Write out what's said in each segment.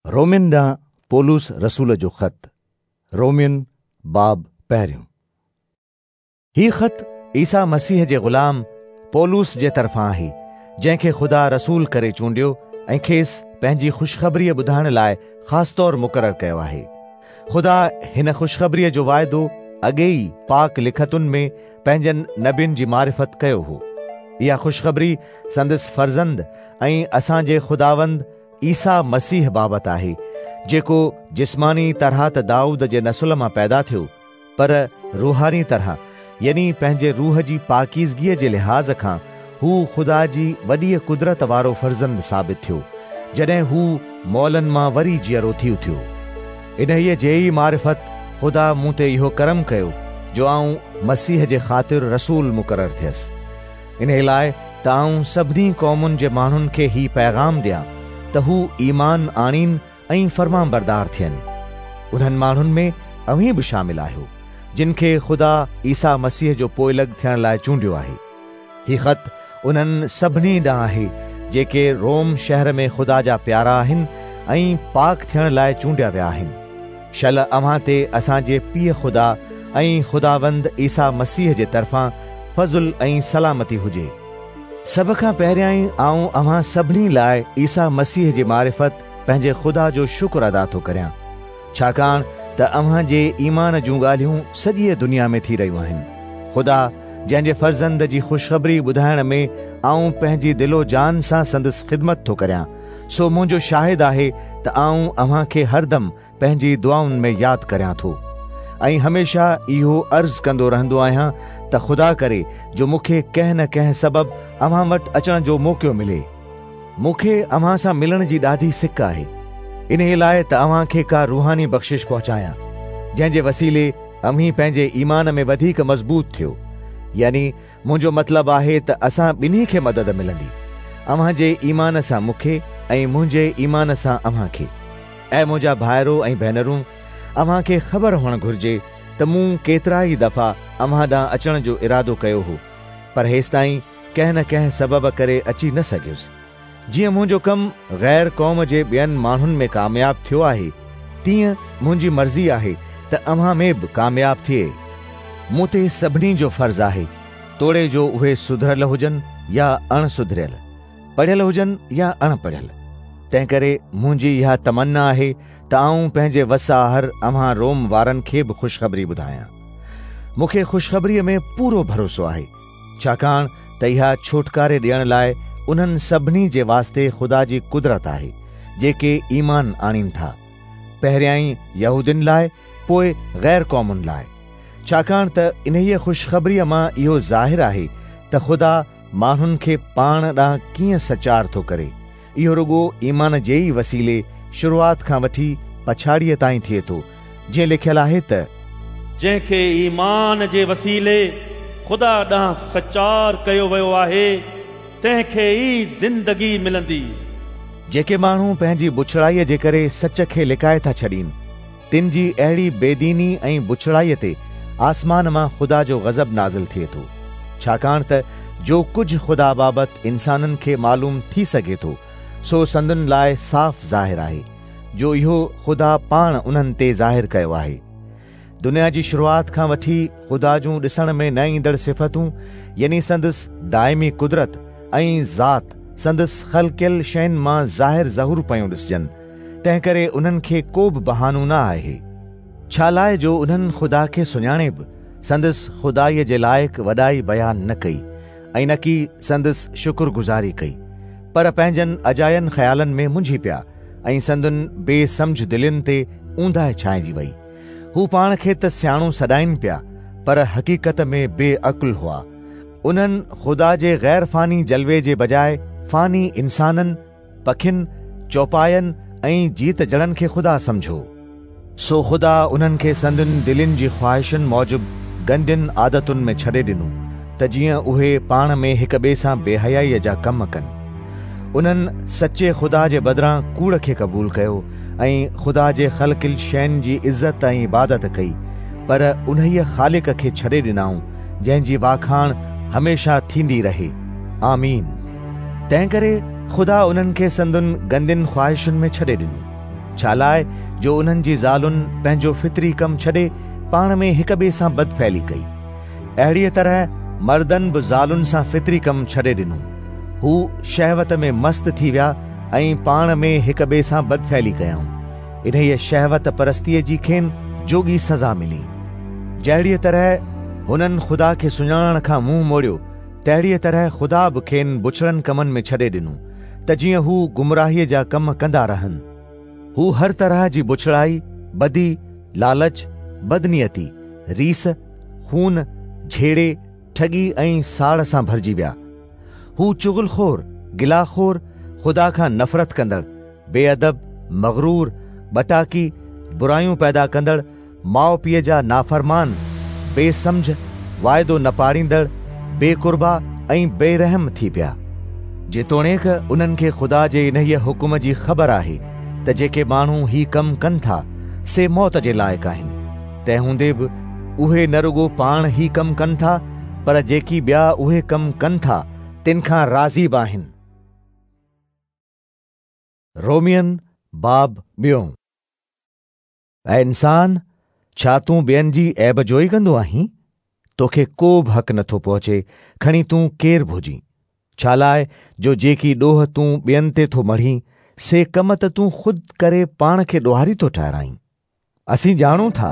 رومين ڏانهن پولس رسول جو خط، رومين، باب پهريون. هي خط عيسيٰ مسيح جي غلام پولس جي طرفان آهي، جنهن کي خدا رسول ڪري چونڊيو ۽ کيس پنهنجي خوشخبريء ٻڌائڻ لاء خاص طور مقرر ڪيو آهي. خدا هن خوشخبريء جو واعدو اڳي ئي پاڪ لکتن ۾ پنهنجن نبين جي معرفت ڪيو هو. اها خوشخبري سندس فرزند ۽ اسان جي خداوند عيسيٰ مسيح بابت آهي، جيڪو جسماني طرح ته دائود جي نسل مان پيدا ٿيو، پر روحاني طرح يعني پنهنجي روح جي پاڪيزگيء جي لحاظ کان هو خدا جي وڏيء قدرت وارو فرزند ثابت ٿيو، جڏهن هو مئلن مان وري جيئرو ٿي اٿيو. انهيء جي ئي معرفت خدا مون تي اهو ڪرم ڪيو، جو آئون مسيح جي خاطر رسول مقرر ٿيس. انهيء لاء ته آئون سڀني قومن جي ماڻهن کي هي پيغام ڏيان ته هو ايمان آڻين ۽ فرمانبردار ٿين. انهن ماڻهن ۾ اوهين به شامل آهيو، جن کي خدا عيسيٰ مسيح جو پوئلڳ ٿيڻ لاء چونڊيو آهي. هي خط انهن سڀني ڏانهن آهي، جيڪي روم شهر ۾ خدا جا پيارا آهن ۽ پاڪ ٿيڻ لاء چونڊيا ويا آهن. شل اوهان تي اسان جي پيء خدا ۽ خداوند عيسيٰ مسيح جي طرفان فضل ۽ سلامتي هجي. سڀ کان پهريائين آئون اوهان سڀني لاء عيسيٰ مسيح جي معرفت پنهنجي خدا جو شڪر ادا ٿو ڪريان، ڇاڪاڻ ته اوهان جي ايمان جون ڳالهيون سڄيء دنيا ۾ ٿي رهيون آهن. خدا، جنهن جي فرزند جي خوشخبري ٻڌائڻ ۾ آئون پنهنجي دل و جان سان سندس خدمت ٿو ڪريان، سو منهنجو شاهد آهي ته آئون اوهان کي هردم پنهنجي دعائن ۾ ياد ڪريان ٿو ۽ هميشه اهو عرض ڪندو رهندو آهيان ته خدا ڪري جو مون کي ڪنهن نه ڪنهن سبب اوهان وٽ اچڻ جو موقعو ملي. مون کي اوهان سان ملڻ جي ڏاڍي سڪ آهي، انهيء لاء ته اوهان کي ڪا روحاني بخشش پهچايان، جنهن جي وسيلي اوهين پنهنجي ايمان ۾ وڌيڪ مضبوط ٿيو، يعني منهنجو مطلب آهي ته اسان ٻنهي کي مدد ملندي، اوهان جي ايمان سان مون کي ۽ منهنجي ايمان سان اوهان کي. اي منهنجا ڀائرو ۽ ڀينرون، اوهان کي خبر هئڻ گهرجي ته مون ڪيترائي دفعا اوهان ڏانهن اچڻ جو ارادو ڪيو هو، پر هيستائين ڪنهن نه ڪنهن سبب ڪري اچي نه سگهيس. جيئن منهنجو ڪم غير قوم جي ٻين ماڻهن ۾ ڪامياب ٿيو آهي، تيئن منهنجي مرضي آهي ته اوهان ۾ به ڪامياب ٿئي. مون تي سڀني جو فرض آهي، توڙي جو اهي سڌريل هجن يا اڻ سڌريل، پڙهيل هجن يا اڻ پڙهيل. تنهنڪري منهنجي اها تمنا آهي ته آئون پنهنجي وس آهر اوهان روم وارن کي به خوشخبري ٻڌايان. مون کي خوشخبريء ۾ پورو ڀروسو آهي. ڇاڪاڻ ته اها ڇوٽڪاري ڏيڻ لاء انهن سڀني جي واسطي خدا جي قدرت آهي، جيڪي ايمان آڻين ٿا، پهريائين يهودين لاء، پوء غير قومن لاء. ڇاڪاڻ ته انهيء خوشخبريء مان اهو ظاهر آهي ته خدا ماڻهن کي پاڻ ڏانهن ڪيئن سچار ٿو ڪري. اهو رڳو ايمان جي ئي وسيلي شروعات کان وٺي پڇاڙيء تائين ٿئي ٿو، جيئن لکيل آهي ته. جنهن کي ايمان جي وسيلي خدا ڏانهن سچار ڪيو ويو آهي، تنهن کي ئي زندگي ملندي. جيڪي ماڻهو پنهنجي بڇڙائيء جي ڪري سچ کي لڪائي ٿا ڇڏين، تن جي اهڙي بيديني ۽ بڇڙائيء تي آسمان مان خدا جو غضب نازل ٿئي ٿو، ڇاڪاڻ ته جو ڪجهه خدا بابت انسانن کي معلوم ٿي سگهي ٿو، سو سندن لاء صاف ظاهر آهي، جو اهو خدا پاڻ انهن تي ظاهر ڪيو آهي. دنيا جي شروعات کان وٺي خدا جون ڏسڻ ۾ نه ايندڙ صفتون يعني سندس دائمي قدرت ۽ ذات سندس خلقيل شين مان ظاهر ظهور پيون ڏسجن، تنهنڪري انهن کي ڪو به بهانو نه آهي. ڇالاء جو انهن خدا کي سڃاڻي به سندس خدائيء جي لائق وڏائي بيان نه ڪئي ۽ نڪي سندس شڪرگذاري ڪئي، پر پنهنجن اجاين خيالن ۾ منجهي پيا ۽ سندن بي سمجهه دلين تي اونداهي ڇانئجي وئي. هو پاڻ کي ته سياڻو سڏائين پيا، پر حقيقت ۾ بي عقل هئا. انهن خدا جي غير فاني جلوي جي بجاء فاني انسانن، پکين، چوپاين ۽ جيت جڻن کي خدا سمجهيو. سو خدا انهن کي سندن دلين جي خواهشن موجب گندين عادتن ۾ ڇڏي ڏنو، ته جيئن اهي پاڻ ۾ هڪ ٻئي سان بيحيائيء جا ڪم ڪن. انهن سچي خدا جي بدران ڪوڙ کي قبول ڪيو ۽ خدا جي خلقيل شين جي عزت ۽ عبادت ڪئي، پر انهيء خالق کي ڇڏي ڏنائون، جنهن جي واکاڻ هميشه ٿيندي رهي. آمين. تنهنڪري خدا انهن کي سندن گندين خواهشن ۾ ڇڏي ڏنو. ڇالاء جو انهن جي زالن پنهنجو فطري ڪم ڇڏي پاڻ ۾ هڪ ٻئي سان بدفعلي ڪئي. اهڙيء طرح مردن به زالن سان فطري ڪم ڇڏي ڏنو. هو شهوت ۾ مست ٿي ويا ۽ پاڻ ۾ هڪ ٻئي سان بدفعلي ڪيائون. انهيء شهوت پرستيء جي کين جوڳي سزا ملي. جهڙيء طرح هنن خدا کي سڃاڻڻ کان منهن موڙيو، تهڙيء طرح خدا به کين بڇڙن ڪمن ۾ ڇڏي ڏنو، ته جيئن هو گمراهيء جا ڪم ڪندا رهن. هو هر طرح جي بڇڙائي، بدي، لالچ، بدنيتي، ريس، خون، جهيڙي، ٺڳي ۽ ساڙ سان ڀرجي ويا. هو چغل خور، گلا خور، خدا کان نفرت ڪندڙ، بي ادب، مغرور، ٻٽاڪي، برايون پيدا ڪندڙ، ماء پيء جا نافرمان، بي سمجهه، واعدو نه پاڙيندڙ، بي قربا ۽ بي رحم ٿي پيا. جيتوڻيڪ انهن کي خدا جي انهيء حڪم جي خبر آهي ته جيڪي ماڻهو هي ڪم ڪن ٿا، سي موت جي لائق آهن، تنهن هوندي به اهي نه رڳو پاڻ هي ڪم ڪن ٿا، پر جيڪي ٻيا اهي ڪم ڪن ٿا، تن کان راضي به آهن. رومين باب ٻيون. اي انسان! ڇا تون ٻين جي عيب جوئي ڪندو آهين؟ توکي ڪو به حق نٿو پهچي، کڻي تون ڪير به هجين. ڇالاء جو جيڪي ڏوهه تون ٻين تي ٿو مڙهين، سي ڪم ته تون خود ڪري پاڻ کي ڏوهاري ٿو ٺهرائين. اسين ڄاڻون ٿا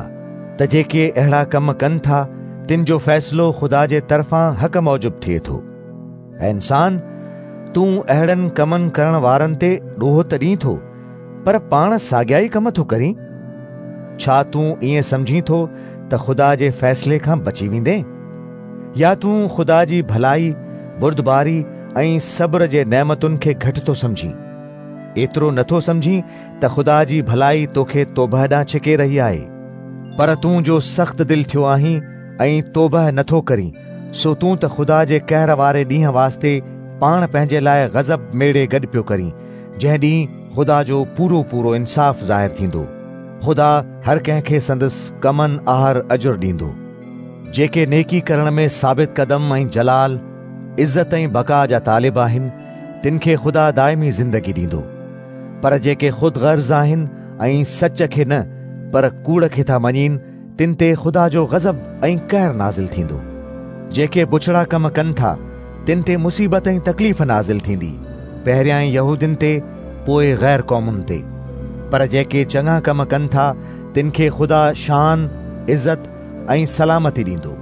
ته جيڪي اهڙا ڪم ڪن ٿا، تن جو فيصلو خدا جي طرفان حق موجب ٿئي ٿو. اي انسان! تون اهڙن ڪمن ڪرڻ وارن تي ڏوهه ته ڏين ٿو، پر پاڻ ساڳيا ئي ڪم ٿو ڪرين. ڇا تون ائين سمجهين ٿو ته خدا جي فيصلي کان بچي ويندين؟ يا تون خدا جي ڀلائي، بردباري ۽ صبر جي نعمتن کي گهٽ ٿو سمجهين؟ ايترو نه ٿو سمجهين ته خدا جي ڀلائي توکي توبهه ڏانهن ڇڪي رهي آهي؟ پر تون جو سخت دل ٿيو آهين ۽ توبهه نه ٿو ڪرين، سو تون ته خدا جي قهر واري ڏينهن واسطي پاڻ پنهنجي لاء غضب ميڙي گڏ پيو ڪرين، جنهن ڏينهن خدا جو پورو پورو انصاف ظاهر ٿيندو. خدا هر ڪنهن کي سندس ڪمن آهر اجر ڏيندو. جيڪي نيڪي ڪرڻ ۾ ثابت قدم ۽ جلال، عزت ۽ بقا جا طالب آهن، تن کي خدا دائمي زندگي ڏيندو. پر جيڪي خود غرض آهن ۽ سچ کي نه پر ڪوڙ کي ٿا مڃين، تن تي خدا جو غضب ۽ قهر نازل ٿيندو. جيڪي بڇڙا ڪم ڪن ٿا، تن تي مصيبت ۽ تڪليف نازل ٿيندي، پهريائين يهودين تي، پوء غير قومن تي. پر جيڪي چڱا ڪم ڪن ٿا، تن کي خدا شان، عزت ۽ سلامتي ڏيندو،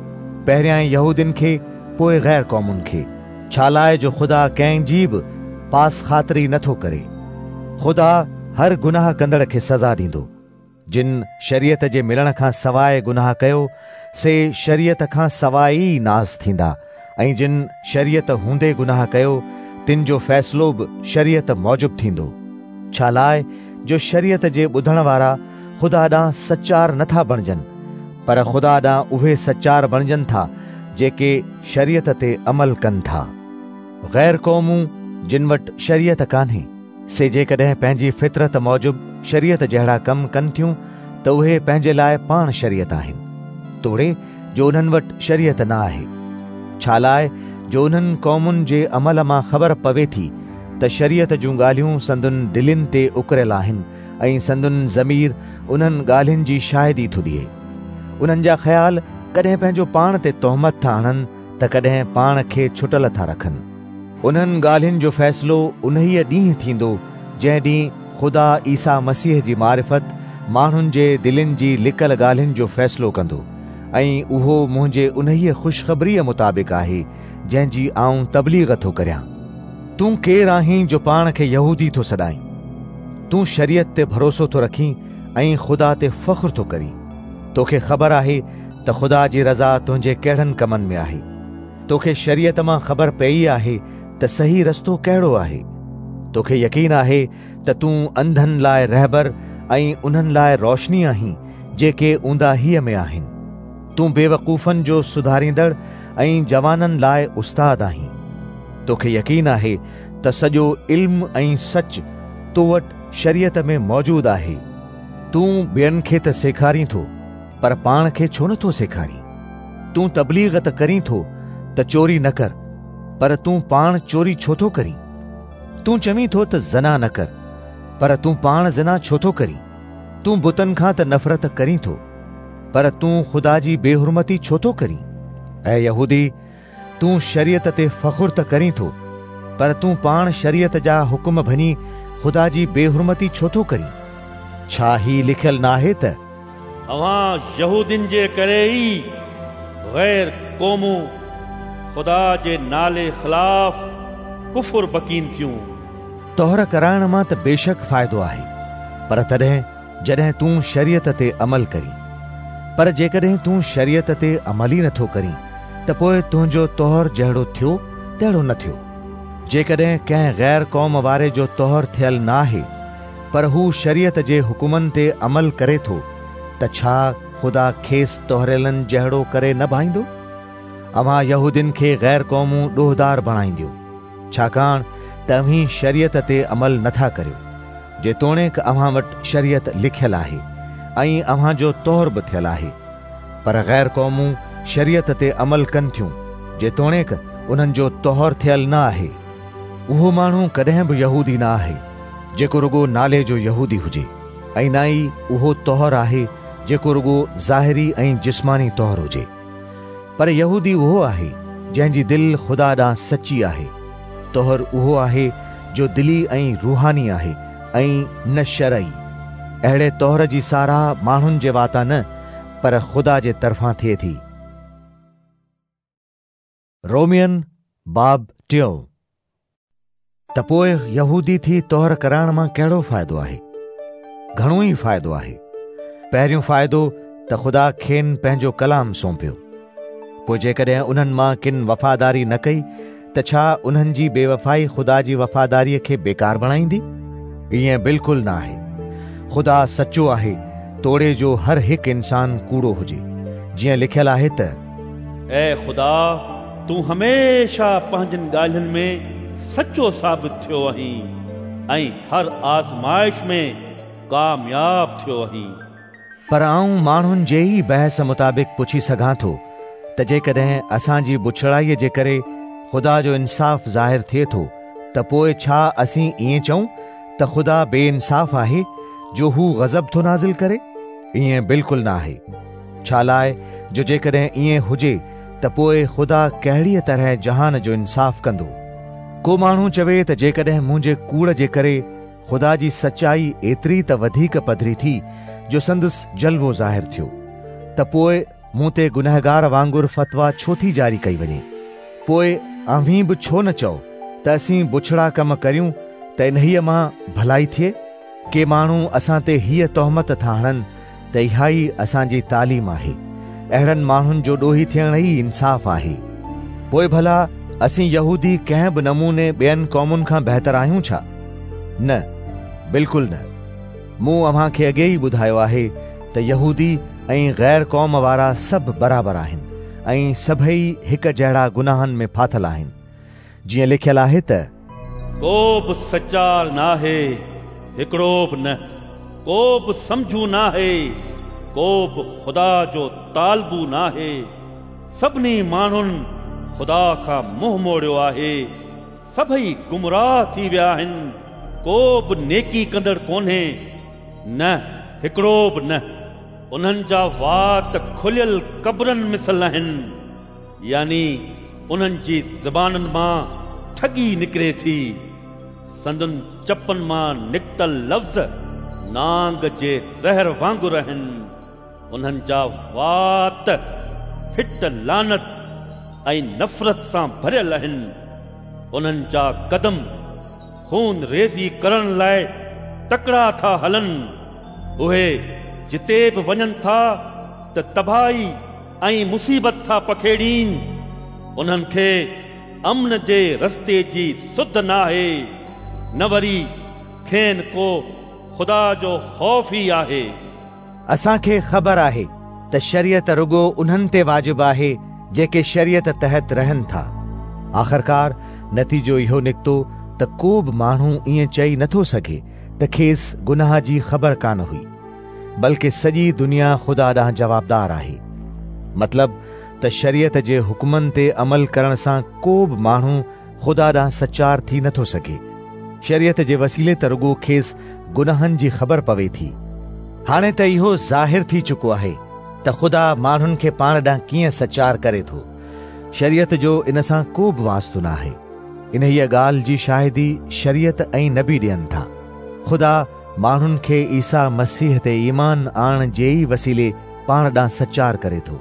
پهريائين يهودين کي، پوء غير قومن کي. ڇالاء جو خدا ڪنهن جي به پاس خاطري نه ٿو ڪري. خدا هر گناهه ڪندڙ کي سزا ڏيندو. جن شريعت جي ملڻ کان سواء گناهه ڪيو، سي شريعت کان سواء ئي ناس ٿيندا، ۽ جن شريعت هوندي گناهه ڪيو، تن جو فيصلو به شريعت موجب ٿيندو. ڇالاء جو شريعت جي ٻڌڻ وارا خدا ڏانهن سچار نه ٿا بڻجن، پر خدا ڏانهن اهي سچار بڻجن ٿا، جيڪي شريعت تي عمل ڪن ٿا. غير قومون جن وٽ شريعت ڪانهي، سي جيڪڏهن پنهنجي فطرت موجب شريعت جهڙا ڪم ڪن ٿيون ته اهي پنهنجي لاء پاڻ شريعت آهن، توڙي جو انهن وٽ شريعت نه آهي. ڇالاء جو انهن قومن جي عمل مان خبر پوي ٿي ته شريعت جون ڳالهيون سندن دلين تي اڪريل آهن ۽ سندن ضمير انهن ڳالهين جي شاهدي ٿو ڏئي. انهن جا خيال ڪڏهن پنهنجو پاڻ تي تهمت ٿا هڻن ته ڪڏهن پاڻ کي ڇٽل ٿا رکن. انهن ڳالهين جو فيصلو انهيء ڏينهن ٿيندو، جنهن ڏينهن خدا عيسيٰ مسيح جي معرفت ماڻهن جي دلين جي لڪل ڳالهين جو فيصلو ڪندو ۽ اهو منهنجي انهيء خوشخبريء مطابق آهي، جنهن جي آئون تبليغ ٿو ڪريان. تون ڪير آهين جو پاڻ کي يهودي ٿو سڏائين؟ تون شريعت تي ڀروسو ٿو رکين ۽ خدا تي فخر ٿو ڪرين. توکي خبر آهي ته خدا جي رضا تنهنجي ڪهڙن ڪمن ۾ آهي. توکي شريعت مان خبر پيئي آهي ته صحيح رستو ڪهڙو آهي. توکي يقين آهي ته تون انڌن لاء رهبر ۽ انهن لاء روشني آهين جيڪي اونداهيء ۾ آهن. تون بيوقوفن جو سڌاريندڙ ۽ جوانن لاء استاد آهين. توکي يقين آهي ته سڄو علم ۽ سچ تو وٽ شريعت ۾ موجود آهي. تون ٻين کي ته سيکارين ٿو، پر پاڻ کي ڇو نه ٿو سيکارين؟ تون تبليغ ته ڪرين ٿو ته چوري نه ڪر، پر تون پاڻ چوري ڇو ٿو ڪرين؟ تون چوين ٿو ته زنا نه ڪر، پر تون پاڻ زنا ڇو ٿو ڪرين؟ تون بتن کان ته نفرت ڪرين ٿو، پر تون خدا جي بيحرمتي ڇو ٿو ڪرين؟ اي يهودي، تون شريعت تي فخر ته ڪرين ٿو، پر تون پاڻ شريعت جا حڪم ڀڃي خدا جي بيحرمتي ڇو ٿو ڪرين؟ ڇا هي لکيل ناهي ته. اوهان يهودين جي ڪري ئي غير قومون خدا جي نالي خلاف ڪفر بڪين ٿيون. طهر ڪرائڻ مان ته بيشڪ فائدو آهي، پر تڏهن جڏهن تون شريعت تي عمل ڪرين. پر جيڪڏهن تون شريعت تي عمل ئي نٿو ڪرين ته پوء تنهنجو طهر جهڙو ٿيو تهڙو نه ٿيو. جيڪڏهن ڪنهن غير قوم واري جو طهر ٿيل نه آهي، پر هو شريعت جي حڪمن تي عمل ڪري ٿو ته ڇا خدا کيس طهريلن جهڙو ڪري نه ڀائيندو؟ اوهان يهودين کي غير قومون ڏوهدار بڻائينديون، ڇاڪاڻ ته اوهين شريعت تي عمل نه ٿا ڪريو، جيتوڻيڪ اوهان وٽ شريعت لکيل آهي ۽ اوهان جو طهر به ٿيل آهي. پر غير قومون شريعت تي عمل ڪن ٿيون، جيتوڻيڪ انهن جو طهر ٿيل نه آهي. اهو ماڻهو ڪڏهن به يهودي نه آهي، جيڪو رڳو نالي جو يهودي هجي، ۽ نه ئي اهو طهر آهي جيڪو رڳو ظاهري ۽ جسماني طهر هجي. پر يهودي اهو آهي جنهن جي دل خدا ڏانهن سچي آهي. طهر اهو آهي جو دلي ۽ روحاني آهي ۽ نه شرعي. اهڙي طهر جي ساراهه ماڻهن جي واتان نه پر خدا جي طرفان ٿئي ٿي. رومين باب ٽيون. ته پوء يهودي ٿي طهر ڪرائڻ مان ڪهڙو فائدو آهي؟ گهڻو ئي فائدو آهي. پهريون فائدو ته خدا کين پنهنجو ڪلام سونپيو. پوء جيڪڏهن انهن مان ڪن وفاداري نه ڪئي ته ڇا انهن جي بيوفائي خدا جي وفاداريء کي بيڪار بڻائيندي؟ ائين بلڪل نه آهي. خدا سچو آهي توڙي جو هر هڪ انسان ڪوڙو هجي. جيئن لکيل آهي ته. اي خدا! تون هميشه پنهنجين ڳالهين ۾ سچو ثابت ٿيو آهين ۽ هر آزمائش ۾ ڪامياب ٿيو آهين. پر آئون ماڻهن جي ئي بحث مطابق پڇي سگهان ٿو ته جيڪڏهن اسان جي بڇڙائيء جي ڪري خدا جو انصاف ظاهر ٿئي ٿو ته پوء ڇا اسين ائين چئون ته خدا بي انصاف آهي جو هو غضب ٿو نازل ڪري؟ ائين بلڪل نه آهي. ڇالاء جو جيڪڏهن ائين هجي ته پوء خدا ڪهڙيء طرح جهان جو انصاف ڪندو؟ ڪو ماڻهو چوي ته جيڪڏهن منهنجي ڪوڙ جي ڪري خدا جي سچائي ايتري ته وڌيڪ پڌري ٿي جو سندس جلوو ظاهر ٿيو، ته پوء مون تي گنهگار وانگر فتويٰ ڇو ٿي جاري ڪئي وڃي؟ پوء اوهين به ڇو نه چئو ته اسين بڇڙا ڪم ڪريون ته انهيء مان ڀلائي ٿئي؟ ڪي ماڻهو اسان تي هيء تهمت ٿا هڻن ته اها ئي اسان جي تعليم آهي. اهڙن ماڻهن جو ڏوهي ٿيڻ ئي انصاف آهي. پوء ڀلا اسين يهودي ڪنهن به نموني ٻين قومن کان بهتر آهيون ڇا؟ نه، بلڪل نه. مون اوهان کي اڳي ئي ٻڌايو آهي ته يهودي ۽ غير قوم وارا سڀ برابر آهن ۽ سڀئي هڪ جهڙا گناهن ۾ ڦاٿل آهن. جيئن لکيل آهي ته. ڪو به سچار ناهي، هڪڙو به نه، ڪو به سمجهو ناهي، ڪو به خدا جو طالبو ناهي. سڀني ماڻهن خدا کان منهن موڙيو آهي، سڀئي گمراهه ٿي ويا آهن، ڪو به نيڪي ڪندڙ ڪونهي، نه هڪڙو به نه. انهن جا وات کليل قبرن مثل آهن. يعني انهن جي زبانن مان ٺڳي نڪري ٿي. سندن چپن مان نڪتل لفظ نانگ جي زهر وانگر آهن. انهن جا وات ڦٽ لعنت ۽ نفرت سان ڀريل آهن. انهن جا قدم خون ريزي ڪرڻ لاء تڪڙا ٿا هلن. اهي جتي به وڃن ٿا ته تباهي ۽ مصيبت ٿا پکيڙين، انهن کي امن جي رستي جي سڌ ناهي، نه وري کين ڪو خدا جو خوف ئي آهي. اسان کي خبر آهي ته شريعت رڳو انهن تي واجب آهي جيڪي شريعت تحت رهن ٿا. آخرڪار نتيجو اهو نڪتو ته ڪو به ماڻهو ائين چئي نٿو سگهي ته کيس گناهه جي خبر ڪانه هئي. بلڪه سڄي دنيا خدا ڏانهن جوابدار آهي. مطلب ته شريعت جي حڪمن تي عمل ڪرڻ سان ڪو به ماڻهو خدا ڏانهن سچار ٿي نٿو سگهي. شريعت جي وسيلي ته رڳو کيس گناهن جي خبر پوي ٿي. هاڻي ته اهو ظاهر ٿي چڪو آهي ته خدا ماڻهن کي پاڻ ڏانهن ڪيئن سچار ڪري ٿو. شريعت جو ان سان ڪو به واسطو نه آهي. انهيء ڳالهه جي شاهدي شريعت ۽ نبي ڏين ٿا. خدا ماڻهن کي عيسيٰ مسيح تي ايمان آڻڻ جي ئي وسيلي پاڻ ڏانهن سچار ڪري ٿو.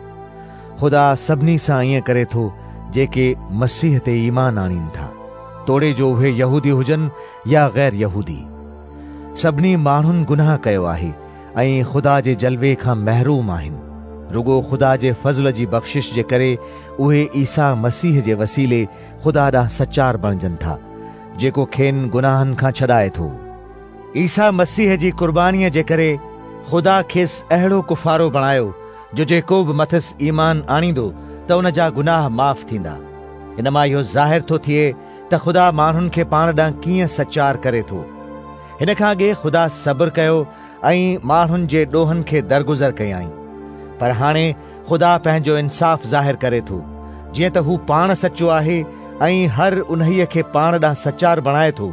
خدا سڀني سان ائين ڪري ٿو جيڪي مسيح تي ايمان آڻين ٿا، توڙي جو اهي يهودي هجن يا غير يهودي. سڀني ماڻهن گناهه ڪيو آهي ۽ خدا جي جلوي کان محروم آهن. رڳو خدا جي فضل جي بخشش جي ڪري اهي عيسيٰ مسيح جي وسيلي خدا ڏانهن سچار بڻجن ٿا، جيڪو کين گناهن کان ڇڏائي ٿو. عيسيٰ مسيح جي قربانيء جي ڪري خدا کيس اهڙو ڪفارو بڻايو جو جيڪو به مٿس ايمان آڻيندو ته ان جا گناهه معاف ٿيندا. ان مان اهو ظاهر ٿو ٿئي ته خدا ماڻهن کي پاڻ ڏانهن ڪيئن سچار ڪري ٿو. هن کان اڳي خدا صبر ڪيو ۽ ماڻهن جي ڏوهن کي درگذر ڪيائين. پر هاڻي خدا پنهنجو انصاف ظاهر ڪري ٿو، جيئن ته هو پاڻ سچو آهي ۽ هر انهيء کي پاڻ ڏانهن سچار بڻائي ٿو،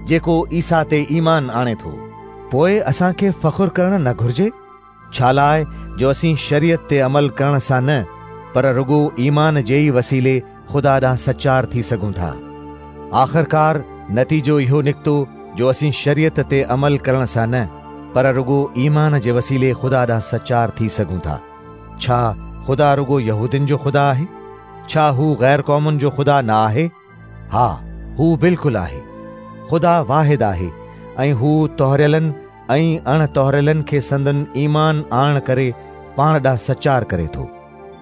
جيڪو عيسيٰ تي ايمان آڻي ٿو. پوء اسان کي فخر ڪرڻ نه گهرجي؟ ڇالاء جو اسين شريعت تي عمل ڪرڻ سان نه، پر رڳو ايمان جي ئي وسيلي خدا ڏانهن سچار ٿي سگهون ٿا. آخرڪار نتيجو اهو نڪتو جو اسين شريعت تي عمل ڪرڻ سان نه، پر رڳو ايمان جي وسيلي خدا ڏانهن سچار ٿي سگهون ٿا. ڇا خدا رڳو يهودين جو خدا آهي؟ ڇا هو غير قومن جو خدا نه آهي؟ ها، هو بلڪل آهي. خدا واحد آهي ۽ هو طهريلن ۽ اڻ طهريلن کي سندن ايمان آڻڻ ڪري پاڻ ڏانهن سچار ڪري ٿو.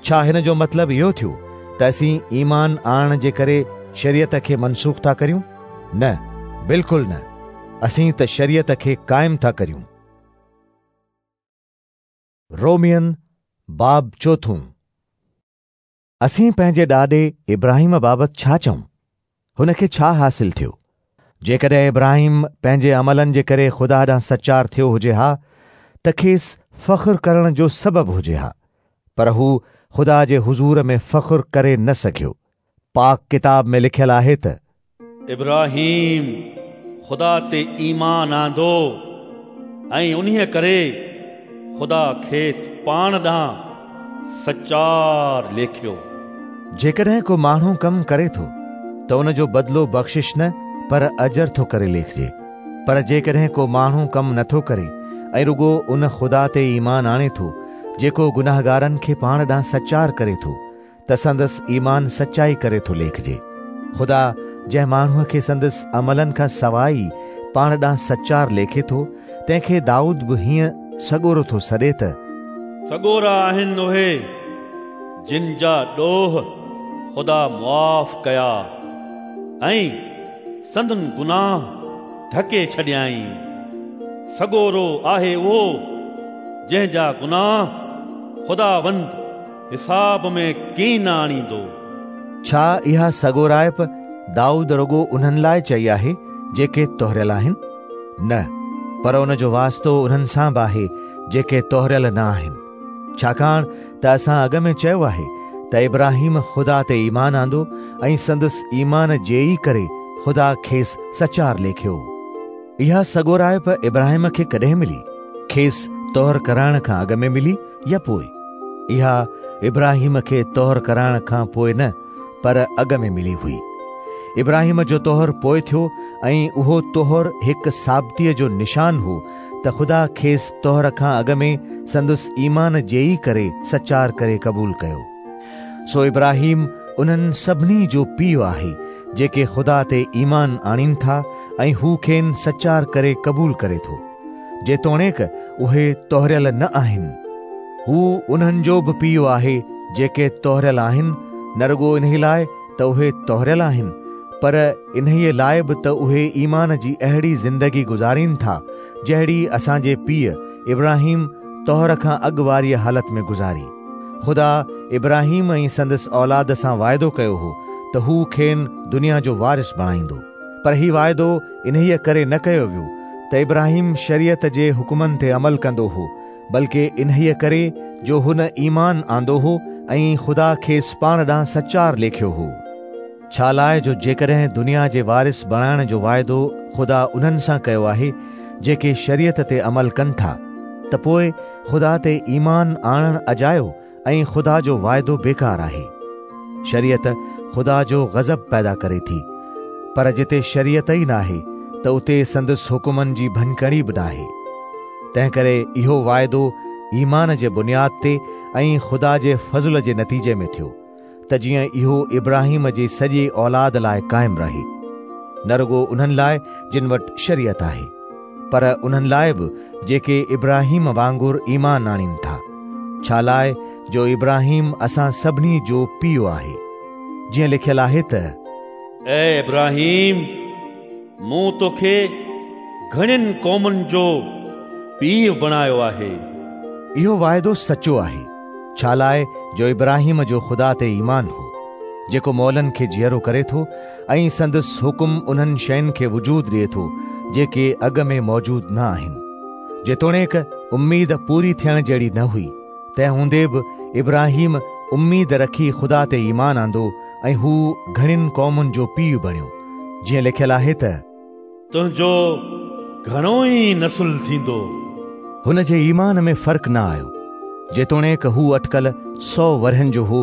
ڇا هن جو مطلب اهو ٿيو ته اسين ايمان آڻڻ جي ڪري شريعت کي منسوخ ٿا ڪريون؟ نه، بلڪل نه، اسين ته شريعت کي قائم ٿا ڪريون. رومين باب چوٿون. اسين پنهنجي ڏاڏي ابراهيم بابت ڇا چئون؟ هن کي ڇا حاصل ٿيو؟ جيڪڏهن ابراهيم پنهنجي عملن جي ڪري خدا ڏانهن سچار ٿيو هجي ها ته کيس فخر ڪرڻ جو سبب هجي ها، پر هو خدا جي حضور ۾ فخر ڪري نه سگهيو. پاڪ ڪتاب ۾ لکيل آهي ته. ابراهيم خدا تي ايمان آندو ۽ انهيء ڪري خدا کيس پاڻ ڏانهن سچار ليکيو. جيڪڏهن ڪو ماڻهو ڪم ڪري ٿو ته ان جو بدلو بخشش نه پر اجر ٿو ڪري ليکجي. پر جيڪڏهن ڪو ماڻهو ڪم نه ٿو ڪري ۽ رڳو ان خدا تي ايمان آڻي ٿو جيڪو گنهگارن کي پاڻ ڏانهن سچار ڪري ٿو ته سندس ايمان سچائي ڪري ٿو ليکجي. خدا جنهن ماڻهوء کي سندس عملن کان سواء ئي پاڻ ڏانهن سچار ليکي ٿو، تنهن کي دائود به هيئن سڳورو ٿو سڏي ته. سڳورا آهن اهي، جن جا ڏوهه خدا معاف ڪيا ۽ سندن گناهه ڍڪي ڇڏيائين. سڳورو آهي اهو، جنهن جا گناهه خداوند حساب ۾ ڪين آڻيندو. ڇا اها سڳورائپ دائود رڳو انهن لاء چئي آهي جيڪي طهريل آهن؟ نه، پر ان جو واسطو انهن سان به آهي جيڪي طهريل نه آهن. ڇاڪاڻ ته اسان اڳ ۾ چيو آهي ته ابراهيم خدا تي ايمان آندو ۽ سندس ايمان جي ئي ڪري خدا کيس سچار ليکيو. اها سڳورائپ ابراهيم کي ڪڏهن ملي؟ کيس طهر ڪرائڻ کان اڳ ۾ ملي يا پوء؟ اها ابراهيم کي طهر ڪرائڻ کان پوء نه پر اڳ ۾ ملي هئي. ابراهيم جو طهر پوء ٿيو ۽ اهو طهر هڪ ثابتيء جو نشان هو ته خدا کيس طهر کان اڳ ۾ سندس ايمان جي ئي ڪري سچار ڪري قبول ڪيو. سو ابراهيم انهن سڀني جو پيء آهي جيڪي خدا تي ايمان آڻين ٿا ۽ هو کين سچار ڪري قبول ڪري ٿو، جيتوڻيڪ اهي طهريل نه آهن. هو انهن جو به پيء آهي جيڪي طهريل آهن، نه رڳو انهي لاء ته اهي طهريل آهن، پر انهيء لاء به ته اهي ايمان جي اهڙي زندگي گذارين ٿا، جهڙي اسان جي پيء ابراهيم طهر کان اڳ واريء حالت ۾ گذاري. خدا ابراهيم ۽ سندس اولاد سان واعدو ڪيو هو ته هو کين دنيا جو وارث بڻائيندو. پر هي واعدو انهيء ڪري نه ڪيو ويو ته ابراهيم شريعت جي حڪمن تي عمل ڪندو هو، بلڪه انهيء ڪري جو هن ايمان آندو هو ۽ خدا کيس پاڻ ڏانهن سچار ليکيو هو. ڇالاء جو جيڪڏهن دنيا جي وارث بڻائڻ جو واعدو خدا انهن سان ڪيو آهي، جيڪي شريعت تي عمل ڪن ٿا، ته پوء خدا تي ايمان آڻڻ اجايو ۽ خدا جو واعدو بيڪار آهي. شريعت خدا جو غضب پيدا ڪري ٿي، پر جتي شريعت ئي ناهي ته اتي سندس حڪمن جي ڀڃڪڙي به ناهي. تنهنڪري اهو واعدو ايمان جي بنياد تي ۽ خدا جي فضل جي نتيجي ۾ ٿيو، ته جيئن اهو ابراهيم جي سڄي اولاد لاء قائم رهي، نه رڳو انهن لاء جن وٽ شريعت آهي، پر انهن لاء به جيڪي ابراهيم وانگر ايمان آڻين ٿا، ڇالاء جو ابراهيم اسان سڀني جو پيء آهي. جيئن لکيل آهي ته. اي ابراهيم، مون توکي گهڻين قومن جو پيء بڻايو آهي. اهو واعدو سچو آهي، ڇالاء جو ابراهيم جو خدا تي ايمان هو، جيڪو مئلن کي جيئرو ڪري ٿو ۽ سندس حڪم انهن شين کي وجود ڏئي ٿو، جيڪي اڳ ۾ موجود نه آهن. جيتوڻيڪ اميد پوري ٿيڻ جهڙي نه هئي، تنهن هوندي به ابراهيم اميد رکي خدا تي ايمان آندو ۽ هو گهڻين قومن جو پيء بڻيو، جيئن لکيل آهي ته. تنهنجو گهڻو ئي نسل ٿيندو. هن جي ايمان ۾ فرق نه آيو، جيتوڻيڪ هو اٽڪل سئو ورهين جو هو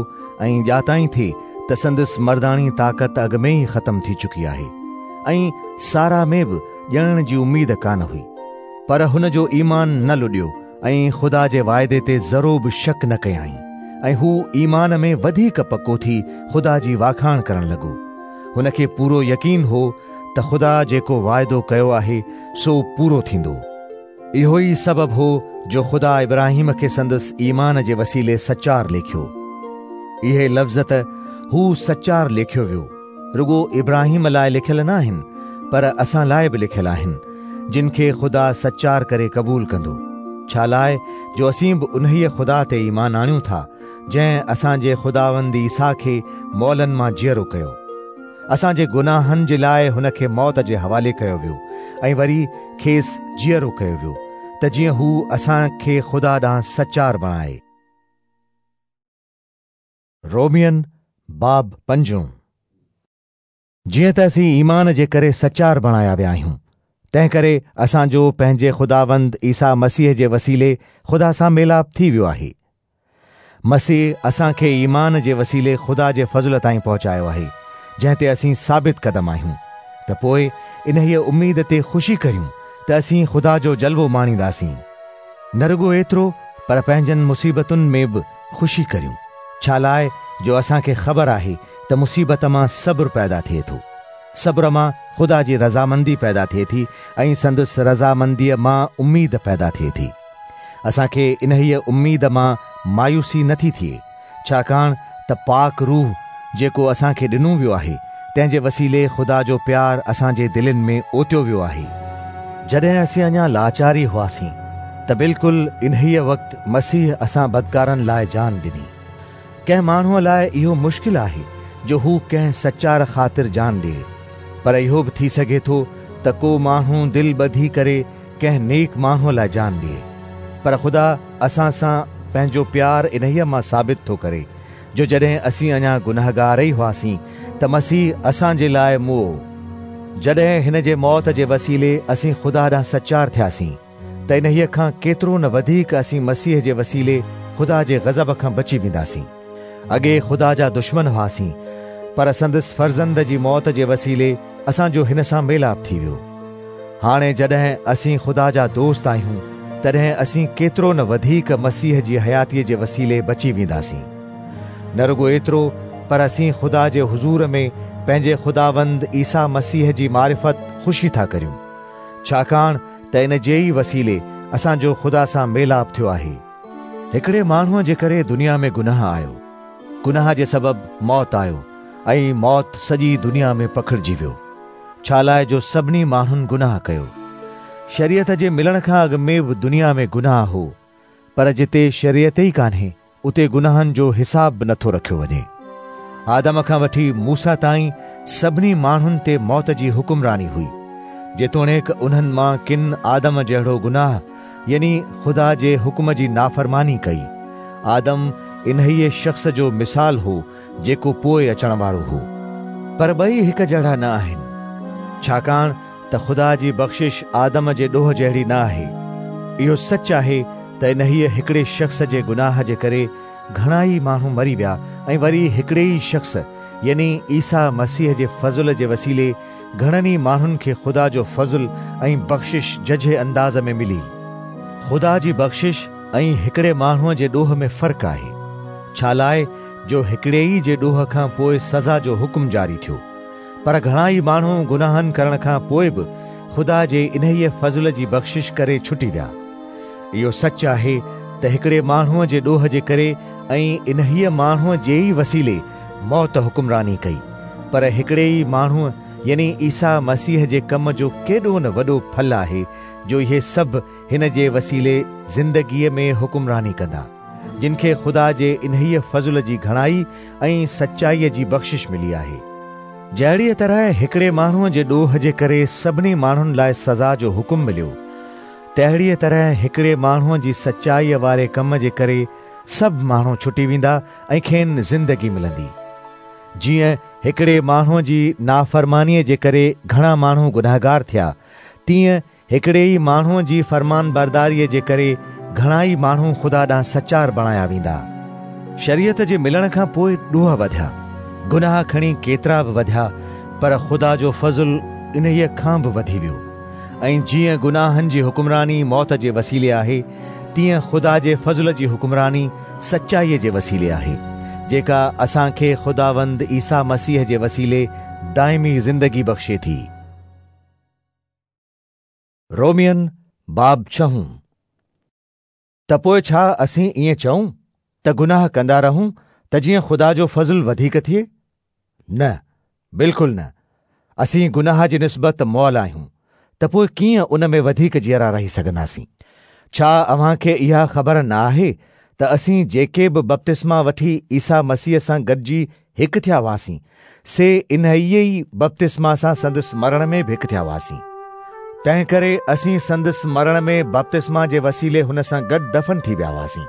۽ ڄاتائين ٿي ته سندس مرداڻي طاقت اڳ ۾ ئي ختم ٿي چڪي آهي ۽ سارا ۾ به ڄڻڻ جي اميد ڪانه هئي. پر هن جو ايمان نه لڏيو ۽ خدا جي واعدي تي ذرو به شڪ نه ڪيائين ۽ هو ايمان ۾ وڌيڪ پڪو ٿي خدا جي واکاڻ ڪرڻ لڳو. هن کي پورو يقين هو ته خدا جيڪو واعدو ڪيو آهي سو پورو ٿيندو. اهو ئي سبب هو جو خدا ابراهيم کي سندس ايمان جي وسيلي سچار ليکيو. اهي لفظ ته هو سچار ليکيو ويو، رڳو ابراهيم لاء لکيل نه آهن، پر اسان لاء به لکيل آهن، جن کي خدا سچار ڪري قبول ڪندو. ڇالاء جو اسين به انهيء خدا تي ايمان آڻيون ٿا، جنهن اسان جي خداوند عيسيٰ کي مئلن مان جيئرو ڪيو. اسان جي گناهن جي لاء هن کي موت جي حوالي ڪيو ويو ۽ وري کيس جيئرو ڪيو ويو ته جيئن هو اسان کي خدا ڏانهن سچار بڻائي. رومين باب پنجون. جيئن ته اسين ايمان جي ڪري سچار بڻايا ويا آهيون، تنهنڪري اسان جو پنهنجي خداوند عيسيٰ مسيح جي وسيلي خدا سان ميلاپ ٿي ويو آهي. مسيح اسان کي ايمان جي وسيلي خدا جي فضل تائين پهچايو آهي، جنهن تي اسين ثابت قدم آهيون، ته پوء انهيء اميد تي خوشي ڪريون ته اسين خدا جو جلوو ماڻينداسين. نه رڳو ايترو پر پنهنجن مصيبتن ۾ به خوشي ڪريون، ڇالاء جو اسان کي خبر آهي ته مصيبت مان صبر پيدا ٿئي ٿو. صبر مان خدا جي رضامندي پيدا ٿئي ٿي ۽ سندس رضامنديء مان اميد پيدا ٿئي ٿي. اسان کي انهيء اميد مان مايوسي نه ٿي ٿئي، ڇاڪاڻ ته پاڪ روح، جيڪو اسان کي ڏنو ويو آهي، تنهن جي وسيلي خدا جو پيار اسان جي دلين ۾ اوتيو ويو آهي. جڏهن اسين اڃا لاچار ئي هئاسين، ته بلڪل انهيء وقت مسيح اسان بدڪارن لاء جان ڏني. ڪنهن ماڻهوء لاء اهو مشڪل آهي جو هو ڪنهن سچار خاطر جان ڏئي، پر اهو به ٿي سگهي ٿو ته ڪو ماڻهو دل ٻڌي ڪري ڪنهن نيڪ ماڻهوء لاء جان ڏئي. پر خدا اسان سان پنهنجو پيار انهيء مان ثابت ٿو ڪري، جو جڏهن اسين اڃا گنهگار ئي هئاسين ته مسيح اسان جي لاء مئو. جڏهن هن جي موت جي وسيلي اسين خدا ڏانهن سچار ٿياسين، ته انهيء کان ڪيترو نه وڌيڪ اسين مسيح جي وسيلي خدا جي غضب کان بچي وينداسين. اڳي خدا جا دشمن هئاسين، پر سندس فرزند جي موت جي وسيلي اسان جو هن سان ميلاپ ٿي ويو. هاڻي جڏهن اسين خدا جا دوست آهيون، تڏهن اسين ڪيترو نه وڌيڪ مسيح جي حياتيء جي وسيلي بچي وينداسين. نه رڳو ايترو، پر اسين خدا جي حضور ۾ پنهنجي خداوند عيسيٰ مسيح جي معرفت خوشي ٿا ڪريون. ڇاڪاڻ ته ان جي ئي وسيلي اسان جو خدا سان ميلاپ ٿيو آهي. هڪڙي ماڻهوء جي ڪري دنيا ۾ گناهه آيو، گناهه جي سبب موت آيو ۽ موت سڄي دنيا ۾ پکڙجي ويو، ڇالاء جو سڀني ماڻهن گناهه ڪيو. شريعت جي ملڻ کان اڳ ۾ به دنيا ۾ گناهه هو، پر جتي شريعت ئي ڪانهي، اتي گناهن جو حساب به نٿو رکيو وڃي. آدم کان وٺي موسيٰ تائين سڀني ماڻهن تي موت جي حڪمراني هئي. جيتوڻيڪ انهن مان ڪن آدم جهڙو گناهه يعني خدا جي حڪم جي نافرماني ڪئي. آدم انهيء شخص جو مثال هو جيڪو پوء اچڻ وارو هو. پر ٻئي هڪ جهڙا نه آهن، ڇاڪاڻ ته خدا جي بخشش آدم جي ڏوهه جهڙي نه آهي. اهو سچ آهي ته انهيء هڪڙي شخص جي گناهه جي ڪري گهڻا ئي ماڻهو مري ويا ۽ وري هڪڙي ئي شخص يعني عيسيٰ مسيح جي فضل جي وسيلي گهڻن ئي ماڻهن کي خدا جو فضل ۽ بخشش ججهي انداز ۾ ملي. خدا جي بخشش ۽ هڪڙي ماڻهوء جي ڏوهه ۾ فرق آهي، ڇالاء جو هڪڙي ئي جي ڏوهه کان پوء سزا جو حڪم جاري ٿيو، پر گهڻا ئي ماڻهو گناهن ڪرڻ کان پوء به خدا جي انهيء فضل جي بخشش ڪري ڇٽي ويا. اهو سچ آهي ته هڪڙي ماڻهوء جي ڏوهه جي ڪري ۽ انهيء ماڻهوء جي ئي وسيلي موت حڪمراني ڪئي، پر هڪڙي ئي ماڻهوء يعني عيسيٰ مسيح جي ڪم جو ڪيڏو نه وڏو ڦل آهي جو اهي سڀ هن جي وسيلي زندگيء ۾ حڪمراني ڪندا، جن کي خدا جي انهيء فضل جي گهڻائي ۽ سچائيء جي بخشش ملي آهي. جهڙيء طرح هڪڙي ماڻهوء جي ڏوهه جي ڪري سڀني ماڻهن لاء سزا جو حڪم مليو، تهڙيء طرح هڪڙي ماڻهوء جي سچائيء واري ڪم جي ڪري سڀ ماڻهو ڇٽي ويندا ۽ کين زندگي ملندي. جيئن هڪڙي ماڻهوء جي نافرمانيء جي ڪري گهڻا ماڻهو گنهگار ٿيا، تيئن هڪڙي ئي ماڻهوء جي فرمانبرداريء جي ڪري گهڻا ئي ماڻهو خدا ڏانهن سچار بڻايا ويندا. شريعت جي ملڻ کان پوء ڏوهه وڌيا، گناهه کڻي ڪيترا به وڌيا، پر خدا جو فضل انهيء کان به وڌي ويو. ۽ جيئن گناهن جي حڪمراني موت جي وسيلي آهي، تيئن خدا جي فضل جي حڪمراني سچائيء جي وسيلي آهي، جيڪا اسان کي خداوند عيسيٰ مسيح جي وسيلي دائمي زندگي بخشي ٿي. رومين باب ڇهون. ته پوء ڇا اسين ائين چئون ته گناهه ڪندا رهون ته جيئن خدا جو فضل وڌيڪ ٿئي؟ نه، بلڪل نه! اسين گناهه جي نسبت مئل آهيون ته پوء ڪيئن ان ۾ وڌيڪ جيئرا رهي سگهنداسين؟ ڇا اوهان کي اها خبر نه آهي ته اسين جيڪي به بپتسما وٺي عيسيٰ مسيح سان گڏجي هڪ ٿيا هئاسين، سي انهيء ئي بپتسما سان سندس مرڻ ۾ به هڪ ٿيا هئاسين. تنهنڪري اسين سندس مرڻ ۾ بپتسما جي وسيلي هن سان گڏ دفن ٿي ويا هئاسين،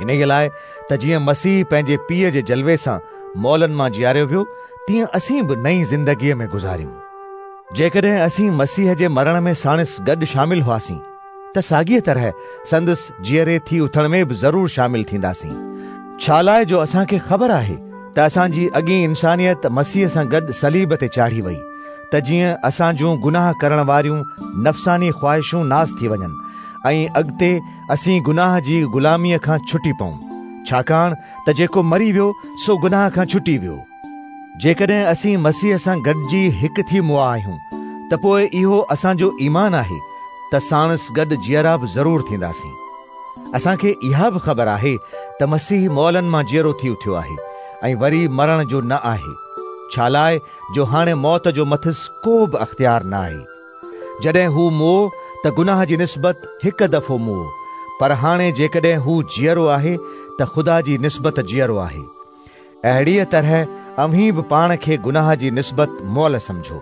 انهيء لاء ته جيئن مسيح پنهنجي پيء جي جلوي سان مئلن مان جياريو ويو، تيئن اسين به نئين زندگيء ۾ گذاريون. جيڪڏهن اسين مسيح جي مرڻ ۾ ساڻس گڏ شامل هئاسين، ته ساڳيء طرح سندس جيئري ٿي اٿڻ ۾ به ضرور شامل ٿينداسين. ڇالاء جو اسان کي خبر آهي ته اسان جي اڳين انسانيت مسيح سان گڏ صليب تي چاڙهي وئي، ته جيئن اسان جون گناهه ڪرڻ واريون نفساني خواهشون ناس ٿي وڃن ۽ اڳتي اسين گناهه جي غلاميء کان ڇٽي پئون، ڇاڪاڻ ته جيڪو مري ويو سو گناهه کان ڇٽي ويو. جيڪڏهن اسين مسيح سان گڏجي هڪ ٿي مئا آهيون ته پوء اهو اسان جو ايمان آهي ته ساڻس گڏ جيئرا به ضرور ٿينداسين. اسان کي اها به خبر آهي ته مسيح مئلن مان جيئرو ٿي اٿيو آهي ۽ وري مرڻ جو نه آهي، ڇالاء جو هاڻي موت جو مٿس ڪو به اختيار نه آهي. جڏهن هو مئو ته گناهه جي نسبت هڪ دفعو مئو، پر هاڻي جيڪڏهن هو جيئرو آهي ته خدا جي نسبت جيئرو آهي. اهڙيء طرح اوهين به پاڻ کي گناهه جي نسبت مئل سمجهو،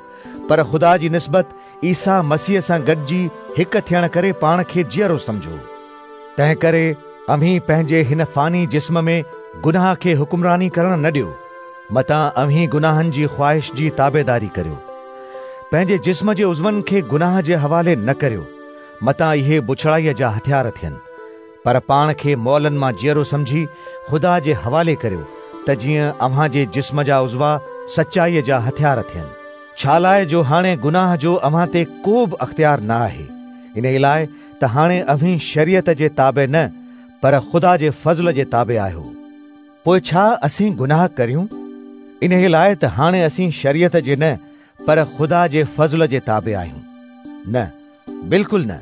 پر خدا جي نسبت عيسيٰ مسيح سان گڏجي هڪ ٿيڻ ڪري پاڻ کي جيئرو سمجهو. تنهنڪري اوهين پنهنجي هن فاني جسم ۾ گناهه کي حڪمراني ڪرڻ نه ڏيو، متان اوهين گناهن جي خواهش جي تابعداري ڪريو. پنهنجي جسم جي عضون کي گناهه جي حوالي نه ڪريو، متان اهي بڇڙائيء جا هٿيار ٿين. پر پاڻ کي مئلن مان جيئرو سمجهي خدا جي حوالي ڪريو ته جيئن اوهان جي جسم جا عضوا سچائيء جا هٿيار ٿين. ڇالاء جو هاڻي گناهه جو اوهان تي ڪو به اختيار نه آهي، انهيء لاء ته هاڻي اوهين شريعت جي تابع نه پر خدا جي فضل جي تابع آهيو. پوء ڇا اسين گناهه ڪريون؟ انهيء لاء ته هاڻي اسين شريعت جي نه پر خدا جي فضل جي تابع آهيون. نه، بلڪل نه!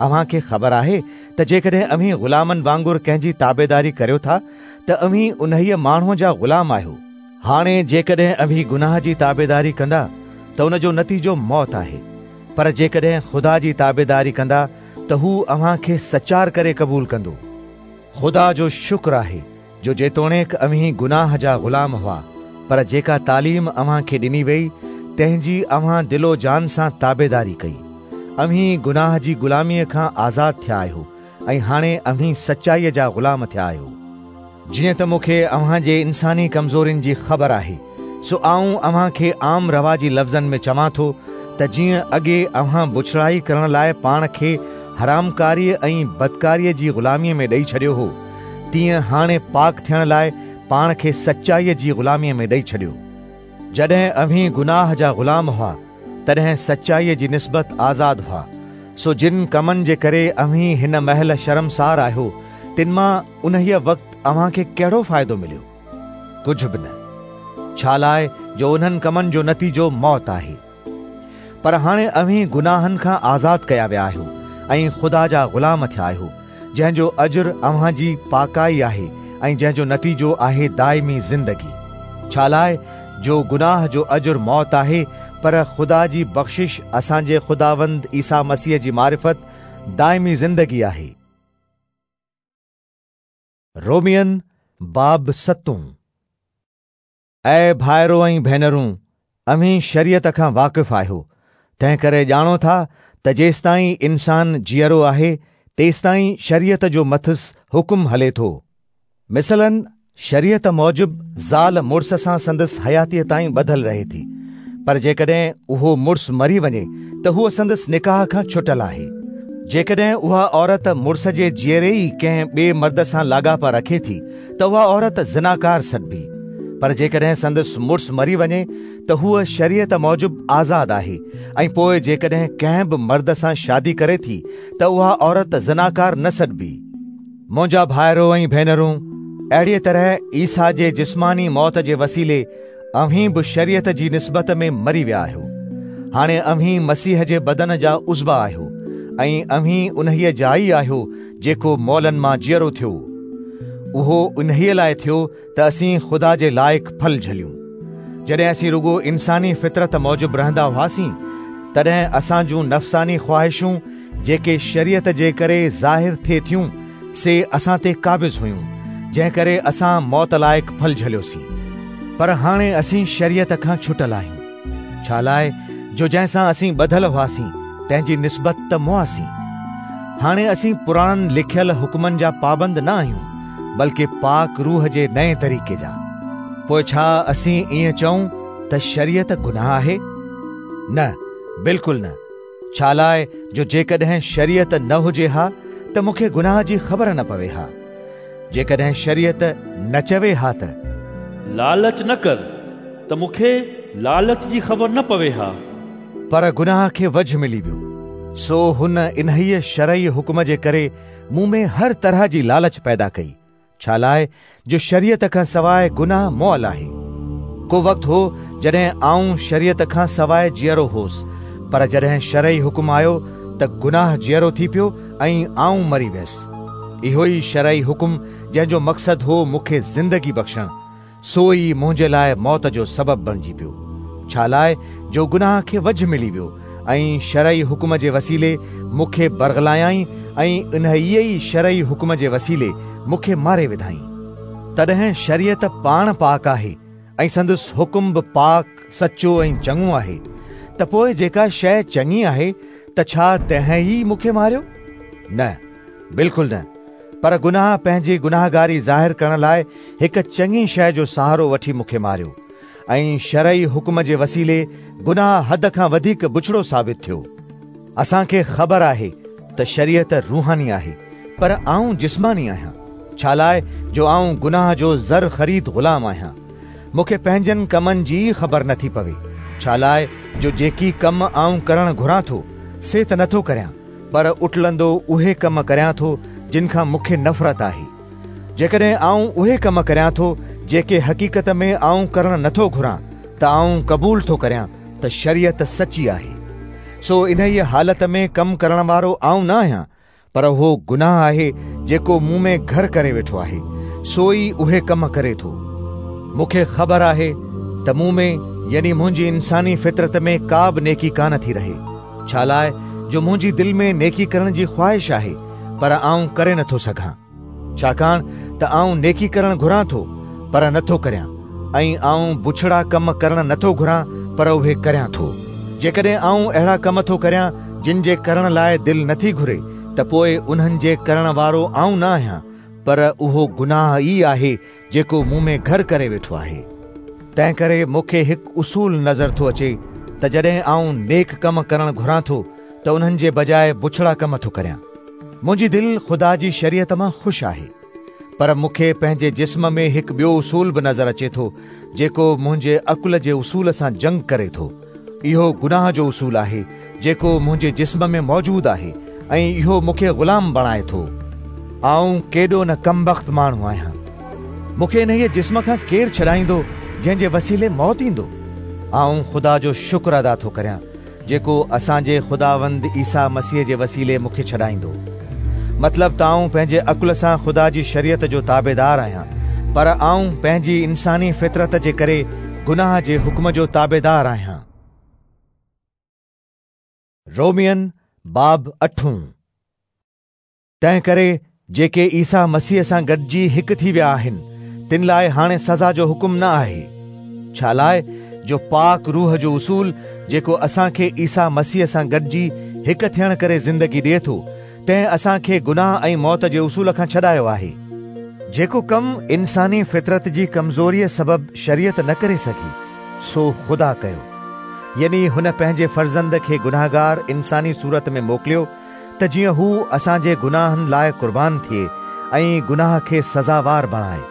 اوهان کي خبر آهي ته جيڪڏهن اوهين غلامن وانگر ڪنهن جي تابعداري ڪريو ٿا ته اوهين انهيء ماڻهوء جا غلام آهيو. هاڻي جيڪڏهن اوهين گناهه جي تابعداري ڪندا ته ان جو نتيجو موت آهي، پر جيڪڏهن خدا جي تابعداري ڪندا ته هو اوهان کي سچار ڪري قبول ڪندو. خدا جو شڪر آهي جو جيتوڻيڪ اوهين گناهه جا غلام هئا، پر جيڪا تعليم اوهان کي ڏني ويئي، تنهن جي اوهان دل و جان سان تابعداري ڪئي. اوهين گناهه جي غلاميء کان آزاد ٿيا آهيو ۽ هاڻي اوهين سچائيء جا غلام ٿيا آهيو. جيئن ته مون کي اوهان جي انساني ڪمزورين جي خبر آهي، سو آئون اوهان کي عام رواجي لفظن ۾ چوان ٿو ته جيئن اڳي اوهان بڇڙائي ڪرڻ لاء پاڻ کي حرامڪاريء ۽ بدڪاريء جي غلاميء ۾ ڏئي ڇڏيو هو، تيئن هاڻي پاڪ ٿيڻ لاء پاڻ کي سچائيء جي غلاميء ۾ ڏئي ڇڏيو. جڏهن اوهين گناهه جا غلام هئا، تڏهن سچائيء جي نسبت آزاد هئا. سو جن ڪمن جي ڪري اوهين هن مهل شرمسار آهيو، تن مان انهيء وقت اوهان کي ڪهڙو فائدو مليو؟ ڪجهه به نه، ڇالاء جو انهن ڪمن جو نتيجو موت آهي. پر هاڻي اوهين گناهن کان آزاد ڪيا ويا آهيو ۽ خدا جا غلام ٿيا آهيو، جنهن جو اجر اوهان جي پاڪائي آهي ۽ جنهن جو نتيجو آهي دائمي زندگي. ڇالاء جو گناهه جو اجر موت آهي، پر خدا جي بخشش اسان جي خداوند عيسيٰ مسيح جي معرفت دائمي زندگي آهي. رومين باب ستون. اي ڀائرو ۽ ڀينرون، اوهين شريعت کان واقف آهيو، تنهنڪري ڄاڻو ٿا ته جيستائين انسان جيئرو آهي، تيستائين شريعت جو مٿس حڪم هلي ٿو. مثلاً شريعت موجب زال مڙس سان سندس حياتيء تائين ٻڌل رهي ٿي، پر جيڪڏهن اهو مڙس مري وڃي ته هوء سندس نڪاح کان ڇٽل آهي. جيڪڏهن اها عورت مڙس جي جيئري ئي ڪنهن ٻئي مرد سان لاڳاپا رکي ٿي ته اها عورت زناڪار سڏبي. پر جيڪڏهن سندس مڙس مري وڃي ته هوء شريعت موجب آزاد آهي ۽ پوء جيڪڏهن ڪنهن به مرد سان شادي ڪري ٿي ته اها عورت زناڪار نه سڏبي. منهنجا ڀائرو ۽ ڀينرون، اهڙيء طرح عيسيٰ جي جسماني موت جي وسيلي اوهين به شريعت جي نسبت ۾ مري ويا آهيو. هاڻي اوهين مسيح جي بدن جا عضوا آهيو ۽ اوهين انهيء جا ئي آهيو جيڪو مئلن مان جيئرو ٿيو. اهو انهيء لاء ٿيو ته اسين خدا جي لائق ڦل جهليون. جڏهن اسين رڳو انساني فطرت موجب رهندا هئاسين، تڏهن اسان جون نفساني خواهشون جيڪي شريعت جي ڪري ظاهر ٿي ٿيون، سي اسان تي قابض هيون، جنهن ڪري اسان موت لائق ڦل جهليوسين. پر هاڻي اسين شريعت کان ڇٽل آهيون، ڇالاء جو جنهن سان اسين ٻڌل هئاسين، تنهن جي نسبت ته مئاسين. هاڻي اسين پراڻن لکيل حڪمن جا پابند نه آهيون، بلڪ پاڪ روح جي نئين طريقي جا. پوء ڇا اسين ائين چئون ته شريعت گناهه آهي؟ نه، بلڪل نه! ڇالاء جو جيڪڏهن شريعت نه هجي ها ته مون کي گناهه جي خبر نه پوي ها. جيڪڏهن شريعت نه چوي ها ته. لالچ نه ڪر، ته مون کي لالچ جي خبر نه پوي ها. پر گناهه کي وجهه ملي ويو، سو هن انهيء شرعي حڪم جي ڪري مون ۾ هر طرح جي لالچ پيدا ڪئي، ڇالاء جو شريعت کان سواء گناهه مئل آهي. ڪو وقت هو جڏهن آئون شريعت کان سواء جيئرو هوس، پر جڏهن شرعي حڪم آيو ته گناهه جيئرو ٿي پيو ۽ آئون مري ويس. اهو ئي شرعي حڪم جنهن جو مقصد هو مون کي زندگي بخشڻ، سو ئي منهنجي لاء موت جو سبب بڻجي پيو. ڇالاء جو گناهه کي وجهه ملي ويو ۽ شرعي حڪم جي وسيلي مون کي برغلايائين ۽ انهيء ئي شرعي حڪم جي وسيلي مون کي ماري وڌائين. تڏهن شريعت پاڻ پاڪ آهي ۽ سندس حڪم به پاڪ، سچو ۽ چڱو آهي، ته پوء جيڪا شيء چڱي آهي ته ڇا تنهن ئي مون کي ماريو؟ نه، بلڪل نه، پر گناهه پنهنجي گناهگاري ظاهر ڪرڻ لاء هڪ چڱي شيء جو سهارو وٺي مون کي ماريو ۽ شرعي حڪم جي وسيلي گناهه حد کان وڌيڪ بڇڙو ثابت ٿيو. اسان کي خبر آهي ته شريعت روحاني آهي، پر آئون جسماني آهيان، ڇالاء جو آئون گناهه جو زر خريد غلام آهيان. مون کي پنهنجن ڪمن جي ئي خبر نٿي پوي، ڇالاء جو جيڪي ڪم آئون ڪرڻ گهران ٿو، سي ته نٿو ڪريان، پر اٽلندو اهي ڪم ڪريان ٿو جن کان مون کي نفرت آهي. جيڪڏهن آئون اهي ڪم ڪريان ٿو جيڪي حقيقت ۾ آئون ڪرڻ نٿو گهران ته آئون قبول ٿو ڪريان ته شريعت سچي آهي. سو انهيء حالت ۾ ڪم ڪرڻ وارو آئون نه آهيان، پر اهو گناهه آهي جيڪو مون ۾ گهر ڪري ويٺو آهي، سو ئي اهي ڪم ڪري ٿو. مون کي خبر آهي ته مون ۾ يعني منهنجي انساني فطرت ۾ ڪا به نيڪي ڪانه ٿي رهي، ڇالاء جو منهنجي دل ۾ نيڪي ڪرڻ جي خواهش آهي، پر آئون ڪري نٿو سگهان. ڇاڪاڻ ته آئون نيڪي ڪرڻ گهران ٿو، پر نٿو ڪريان، ۽ آئون بڇڙا ڪم ڪرڻ نٿو گهران، پر اهي ڪريان ٿو. جيڪڏهن آئون اهڙا ڪم ٿو ڪريان، جن جي ڪرڻ لاء دل نٿي گهري، ته پوء انهن جي ڪرڻ وارو آئون نه آهيان، پر اهو گناهه ئي آهي جيڪو مون ۾ گهر ڪري ويٺو آهي. تنهنڪري مون کي هڪ اصول نظر ٿو اچي ته جڏهن آئون نيڪ ڪم ڪرڻ گهران ٿو ته انهن جي بجاء بڇڙا ڪم ٿو ڪريان. منهنجي دل خدا جي شريعت مان خوش آهي، پر مون کي پنهنجي جسم ۾ هڪ ٻيو اصول به نظر اچي ٿو، جيڪو منهنجي عقل جي اصول سان جنگ ڪري ٿو. اهو گناهه جو اصول آهي، جيڪو منهنجي جسم ۾ موجود آهي ۽ اهو مون کي غلام بڻائي ٿو. آئون ڪيڏو نه ڪمبخت ماڻهو آهيان! مون کي انهيء جسم کان ڪير ڇڏائيندو، جنهن جي وسيلي موت ايندو؟ آئون خدا جو شڪر ادا ٿو ڪريان، جيڪو اسان جي خداوند عيسيٰ مسيح جي وسيلي مون کي ڇڏائيندو. مطلب ته آئون پنهنجي عقل سان خدا جي شريعت جو تابعدار آهيان، پر آئون پنهنجي انساني فطرت جي ڪري گناهه جي حڪم جو تابعدار آهيان. رومين باب اٺون. تنهنڪري جيڪي عيسيٰ مسيح سان گڏجي هڪ ٿي ويا آهن، تن لاء هاڻي سزا جو حڪم نه آهي. ڇالاء جو پاڪ روح جو اصول، جيڪو اسان کي عيسيٰ مسيح سان گڏجي هڪ ٿيڻ ڪري زندگي ڏئي ٿو، تنهن اسان کي گناهه ۽ موت جي اصول کان ڇڏايو آهي. جيڪو ڪم انساني فطرت جي ڪمزوريء سبب شريعت نه ڪري سگهي، سو خدا ڪيو. يعني هن پنهنجي فرزند کي گنهگار انساني صورت ۾ موڪليو، ته جيئن هو اسان جي گناهن لاء قربان ٿئي ۽ گناهه کي سزاوار بڻائي.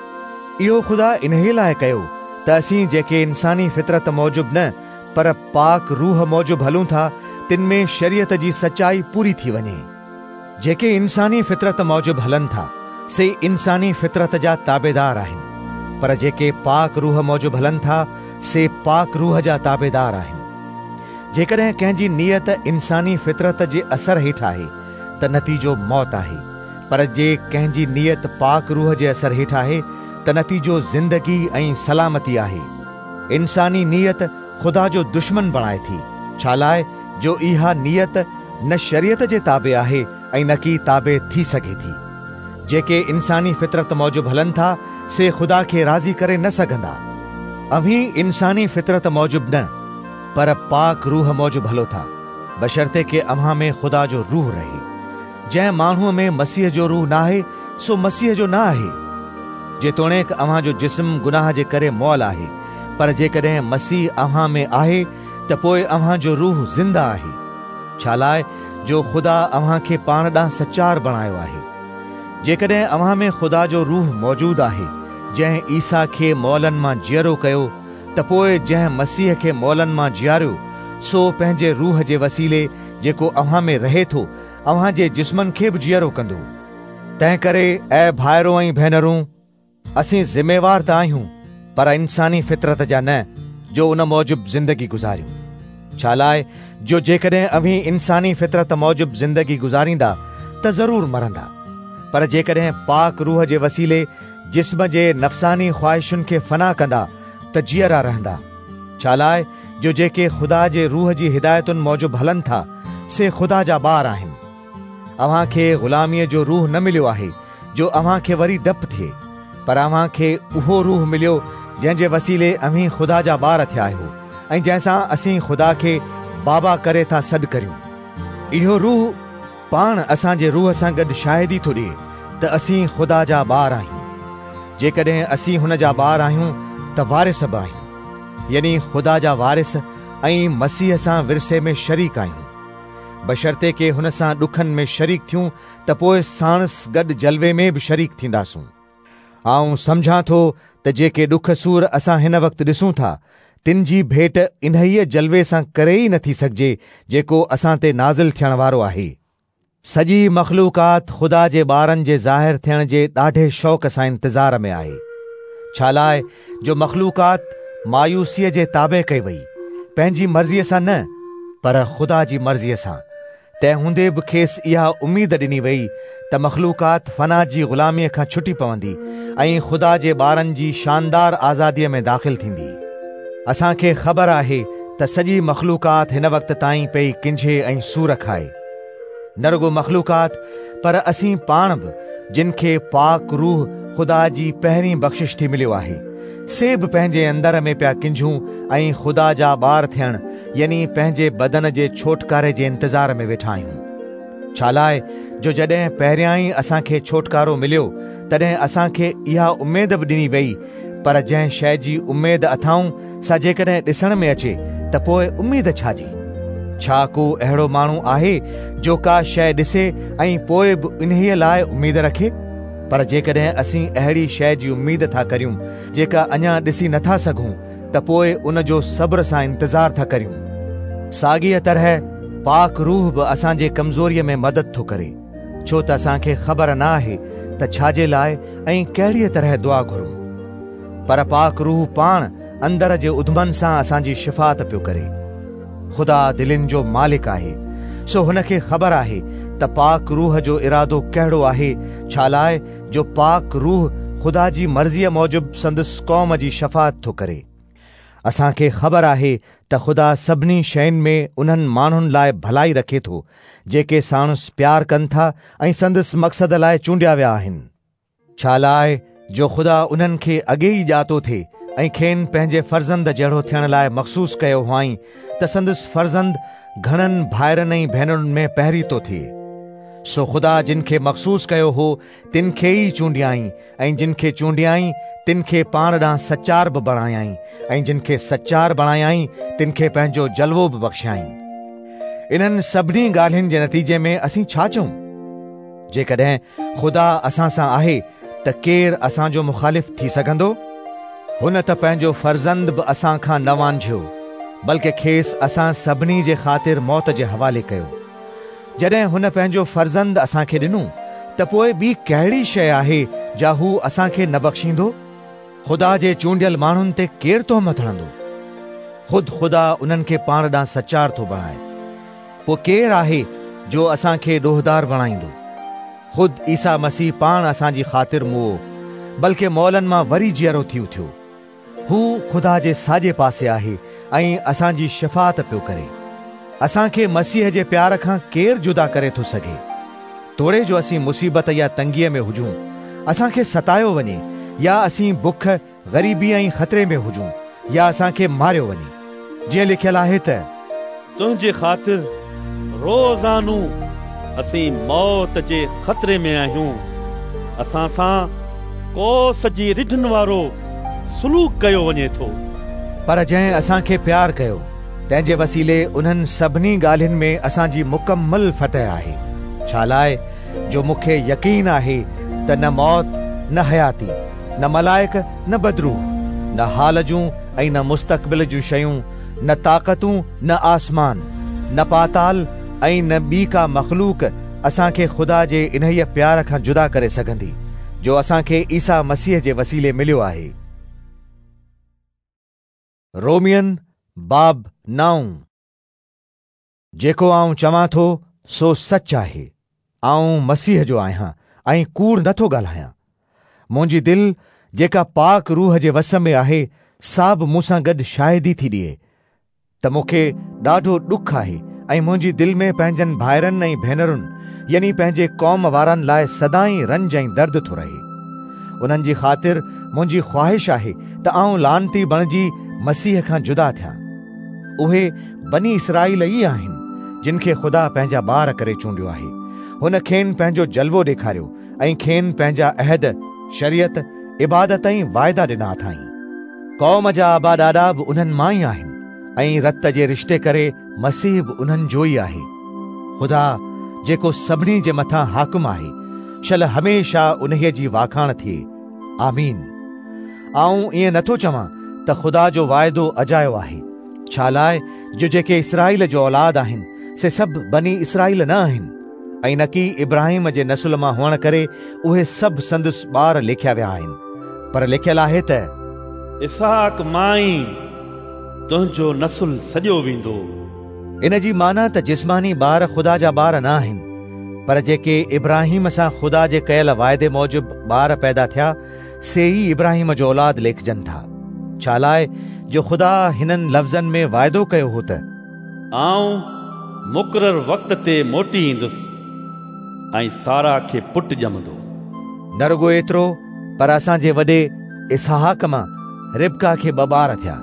اهو خدا انهيء لاء ڪيو ته اسين جيڪي انساني فطرت موجب نه پر پاڪ روح موجب هلون ٿا، تن ۾ شريعت جي سچائي پوري ٿي وڃي. جيڪي انساني فطرت موجب هلن ٿا، سي انساني فطرت جا تابعدار آهن، پر جيڪي پاڪ روح موجب هلن ٿا، سي پاڪ روح جا تابعدار آهن. جيڪڏهن ڪنهن جي نيت انساني فطرت جي اثر هيٺ آهي ته نتيجو موت آهي، پر جي ڪنهن جي نيت پاڪ روح جي اثر هيٺ آهي ته نتيجو زندگي ۽ سلامتي آهي. انساني نيت خدا جو دشمن بڻائي ٿي، ڇالاء جو اها نيت نه شريعت جي تابع آهي ۽ نڪي تابع ٿي سگهي ٿي. جيڪي انساني فطرت موجب هلن ٿا، سي خدا کي راضي ڪري نه سگهندا. اوهين انساني فطرت موجب نه، پر پاڪ روح موجب هلو ٿا، بشرطيڪ اوهان ۾ خدا جو روح رهي. جنهن ماڻهوء ۾ مسيح جو روح ناهي، سو مسيح جو نه آهي. جيتوڻيڪ اوهان جو جسم گناهه جي ڪري مئل آهي، پر جيڪڏهن مسيح اوهان ۾ آهي ته پوء اوهان جو روح زنده آهي. ڇالاء جو خدا اوهان کي پاڻ ڏانهن سچار بڻايو آهي. جيڪڏهن اوهان ۾ خدا جو روح موجود آهي، جنهن عيسيٰ کي مئلن مان جيئرو ڪيو، ته پوء جنهن مسيح کي مئلن مان جياريو، سو پنهنجي روح جي وسيلي جيڪو اوهان ۾ رهي ٿو، اوهان جي جسمن کي به جيئرو ڪندو. تنهنڪري اي ڀائرو ۽ ڀينرون، اسين ذميوار ته آهيون، پر انساني فطرت جا نه، جو ان موجب زندگي گذاريون. ڇالاء جو جيڪڏهن اوهين انساني فطرت موجب زندگي گذاريندا ته ضرور مرندا. پر جيڪڏهن پاڪ روح جي وسيلي جسم جي نفساني خواهشن کي فنا ڪندا ته جيئرا رهندا. ڇالاء جو جيڪي خدا جي روح جي هدايتن موجب هلن ٿا، سي خدا جا ٻار آهن. اوهان کي غلاميء جو روح نه مليو آهي، جو اوهان کي وري ڊپ ٿئي، پر اوهان کي اهو روح مليو جنهن جي وسيلي اوهين خدا جا ٻار ٿيا آهيو ۽ جنهن سان اسين خدا کي بابا ڪري ٿا سڏ ڪريون. اهو روح پاڻ اسان جي روح سان گڏ شاهدي ٿو ڏئي ته اسين خدا جا ٻار آهيون. جيڪڏهن اسين هن جا ٻار آهيون ته وارث به آهيون، يعني خدا جا وارث ۽ مسيح سان ورثي ۾ شريڪ آهيون. بشرطيڪ هن سان ڏکن ۾ شريڪ ٿيون ته پوء ساڻس گڏ جلوي ۾ به شريڪ ٿينداسون. آئون سمجهان ٿو ته جيڪي ڏک سور اسان هن وقت ڏسون ٿا، تن جي ڀيٽ انهيء جلوي سان ڪري ئي نٿي سگهجي جيڪو اسان تي نازل ٿيڻ وارو آهي. سڄي مخلوقات خدا جي ٻارن جي ظاهر ٿيڻ جي ڏاڍي شوق سان انتظار ۾ آهي. ڇالاء جو مخلوقات مايوسيء جي تابع ڪئي وئي، پنهنجي مرضيء سان نه، پر خدا جي مرضيء سان. تنهن هوندي به کيس اها اميد ڏني ويئي ته مخلوقات فنا جي غلاميء کان ڇٽي پوندي ۽ خدا جي ٻارن جي شاندار آزاديء ۾ داخل ٿيندي. اسان کي خبر آهي ته سڄي مخلوقات هن وقت تائين پئي ڪنجهي ۽ سور کائي. نه رڳو مخلوقات پر اسين پاڻ به، جن کي پاڪ روح خدا جي پهرين بخشش ٿي مليو آهي، سي به پنهنجي اندر ۾ پيا ڪنجهون ۽ خدا جا ٻار ٿيڻ يعني پنهنجي بدن جي ڇوٽڪاري جي انتظار ۾ ويٺا آهيون. ڇالاء جو جڏهن پهريائين اسان کي ڇوٽڪارو مليو، تڏهن اسان کي اها اميد به ڏني ويئي، پر جنهن شيء جي اميد اٿائون، سا جيڪڏهن ڏسڻ ۾ اچي، ته ته پوء اميد ڇا جي؟ ڇا ڪو اهڙو ماڻهو آهي جو ڪا شيء ڏسي ۽ پوء به انهيء لاء اميد رکي؟ پر جيڪڏهن اسين اهڙي شيء جي اميد ٿا ڪريون جيڪا اڃا ڏسي نٿا سگهون ته پوء ان جو صبر سان انتظار ٿا ڪريون. ساڳيء طرح پاڪ روح به اسان جي ڪمزوريء ۾ مدد ٿو ڪري، ڇو ته اسان کي خبر نه آهي ته ڇا جي لاء ۽ ڪهڙيء طرح دعا گهرون. پر پاڪ روح پاڻ اندر جي اڌمن سان اسان جي شفاعت پيو ڪري. خدا دلين جو مالڪ آهي، سو هن کي خبر آهي ته پاڪ روح جو ارادو ڪهڙو آهي، ڇالاء جو پاڪ روح خدا جي مرضيء موجب سندس قوم جي شفاعت ٿو ڪري. اسان کي خبر آهي ته خدا سڀني شين ۾ انهن ماڻهن لاء ڀلائي رکي ٿو، جيڪي ساڻس پيار ڪن ٿا ۽ سندس مقصد لاء چونڊيا ويا آهن. ڇالاء جو خدا انهن کي اڳي ئي ڄاتو ٿي ۽ کين پنهنجي فرزند جهڙو ٿيڻ لاء مخصوص ڪيو هئائين ته سندس فرزند گهڻن ڀائرن ۽ ڀينرن ۾ پهريتو ٿئي. سو خدا جن کي مخصوص ڪيو هو، تن کي ئي چونڊيائين ۽ جن کي چونڊيائين، تن کي پاڻ ڏانهن سچار به بڻايائين ۽ جن کي سچار بڻايائين، تن کي پنهنجو جلوو به بخشيائين. انهن سڀني ڳالهين جي نتيجي ۾ اسين ڇا چئون؟ جيڪڏهن خدا اسان سان آهي ته ڪير اسان جو مخالف ٿي سگهندو؟ هن ته پنهنجو فرزند به اسان کان نه وانجهيو، بلڪه کيس اسان سڀني جي خاطر موت جي حوالي ڪيو. جڏهن هن پنهنجو فرزند اسان کي ڏنو ته پوء ٻي ڪهڙي شيء آهي جا هو اسان کي نه بخشيندو؟ خدا جي چونڊيل ماڻهن تي ڪير تهمت هڻندو؟ خود خدا انهن کي پاڻ ڏانهن سچار ٿو بڻائي. پوء ڪير آهي جو اسان کي ڏوهدار بڻائيندو؟ خود عيسيٰ مسيح پاڻ اسان جي خاطر موئو، بلڪه مئلن مان وري جيئرو ٿي اٿيو. هو خدا جي ساڄي پاسي آهي ۽ اسان جي شفاعت پيو ڪري. اسان کي مسيح جي پيار کان ڪير جدا ڪري ٿو سگهي؟ توڙي جو اسين مصيبت يا تنگيء ۾ هجون، اسان کي ستايو وڃي يا اسين بک، غريبي ۽ خطري ۾ هجون يا اسان کي ماريو وڃي. جيئن لکيل آهي ته. تنهنجي خاطر روزانو اسين موت جي خطري ۾ آهيون، اسان سان ڪوس جي رڍن وارو سلوڪ ڪيو وڃي ٿو. پر جنهن اسان کي پيار ڪيو، تنهن جي وسيلي انهن سڀني ڳالهين ۾ اسان جي مڪمل فتح آهي. ڇالاء جو مون کي يقين آهي ته نه موت، نه حياتي، نه ملائڪ نه بدروح، نه حال جون ۽ نه مستقبل جون شيون، نه طاقتون، نه آسمان، نه پاتال ۽ نه ٻي ڪا مخلوق اسان کي خدا جي انهيء پيار کان جدا ڪري سگهندي، جو اسان کي عيسيٰ مسيح جي وسيلي مليو آهي. رومين باب نائون. جيڪو آئون چوان ٿو سو سچ آهي. آئون مسيح جو آهيان ۽ ڪوڙ نه ٿو ڳالهايان. منهنجي دل جيڪا پاڪ روح جي وس ۾ آهي سا به مون سان گڏ شاهدي ٿي ڏئي ته مون کي ڏاڍو ڏک آهي ۽ منهنجي دل ۾ پنهنجن ڀائرن ۽ ڀينرن يعني پنهنجي قوم وارن لاء سدائين رنج ۽ درد ٿو رهي. انهن جي خاطر منهنجي خواهش آهي ته آئون لعنتي بڻجي مسيح کان جدا ٿيان. اهي بني اسرائيل ئي آهن، جن کي خدا پنهنجا ٻار ڪري چونڊيو آهي. هن کين پنهنجو جلوو ڏيکاريو ۽ کين پنهنجا عهد، شريعت، عبادت ۽ واعدا ڏنا اٿائين. قوم جا ابا ڏاڏا به انهن مان ئي آهن ۽ رت جي رشتي ڪري مسيح به انهن جو ئي آهي. خدا، جيڪو سڀني جي مٿان حاڪم آهي، شل هميشه انهيء جي واکاڻ ٿئي. آمين. آئون ائين نٿو چوان ته خدا جو واعدو اجايو آهي، ڇالاء جو جيڪي اسرائيل جو اولاد آهن، سي سڀ بني اسرائيل نه آهن، ۽ نڪي ابراهيم جي نسل مان هئڻ ڪري اهي سڀ سندس ٻار ليکيا ويا آهن، پر لکيل آهي ته. اسحاق مان ئي تنهنجو نسل سڏيو ويندو. ان جي معنيٰ ته جسماني ٻار خدا جا ٻار نه آهن، پر جيڪي ابراهيم سان خدا جي ڪيل واعدي موجب ٻار پيدا ٿيا، سي ئي ابراهيم جو اولاد ليکجن ٿا. ڇالاء جو خدا هنن لفظن ۾ واعدو ڪيو هو ته. آئون مقرر وقت تي موٽي ايندس ۽ سارا کي پٽ ڄمندو. نه رڳو ايترو، پر اسان جي وڏي اسحاق مان ربقه کي ٻه ٻار ٿيا.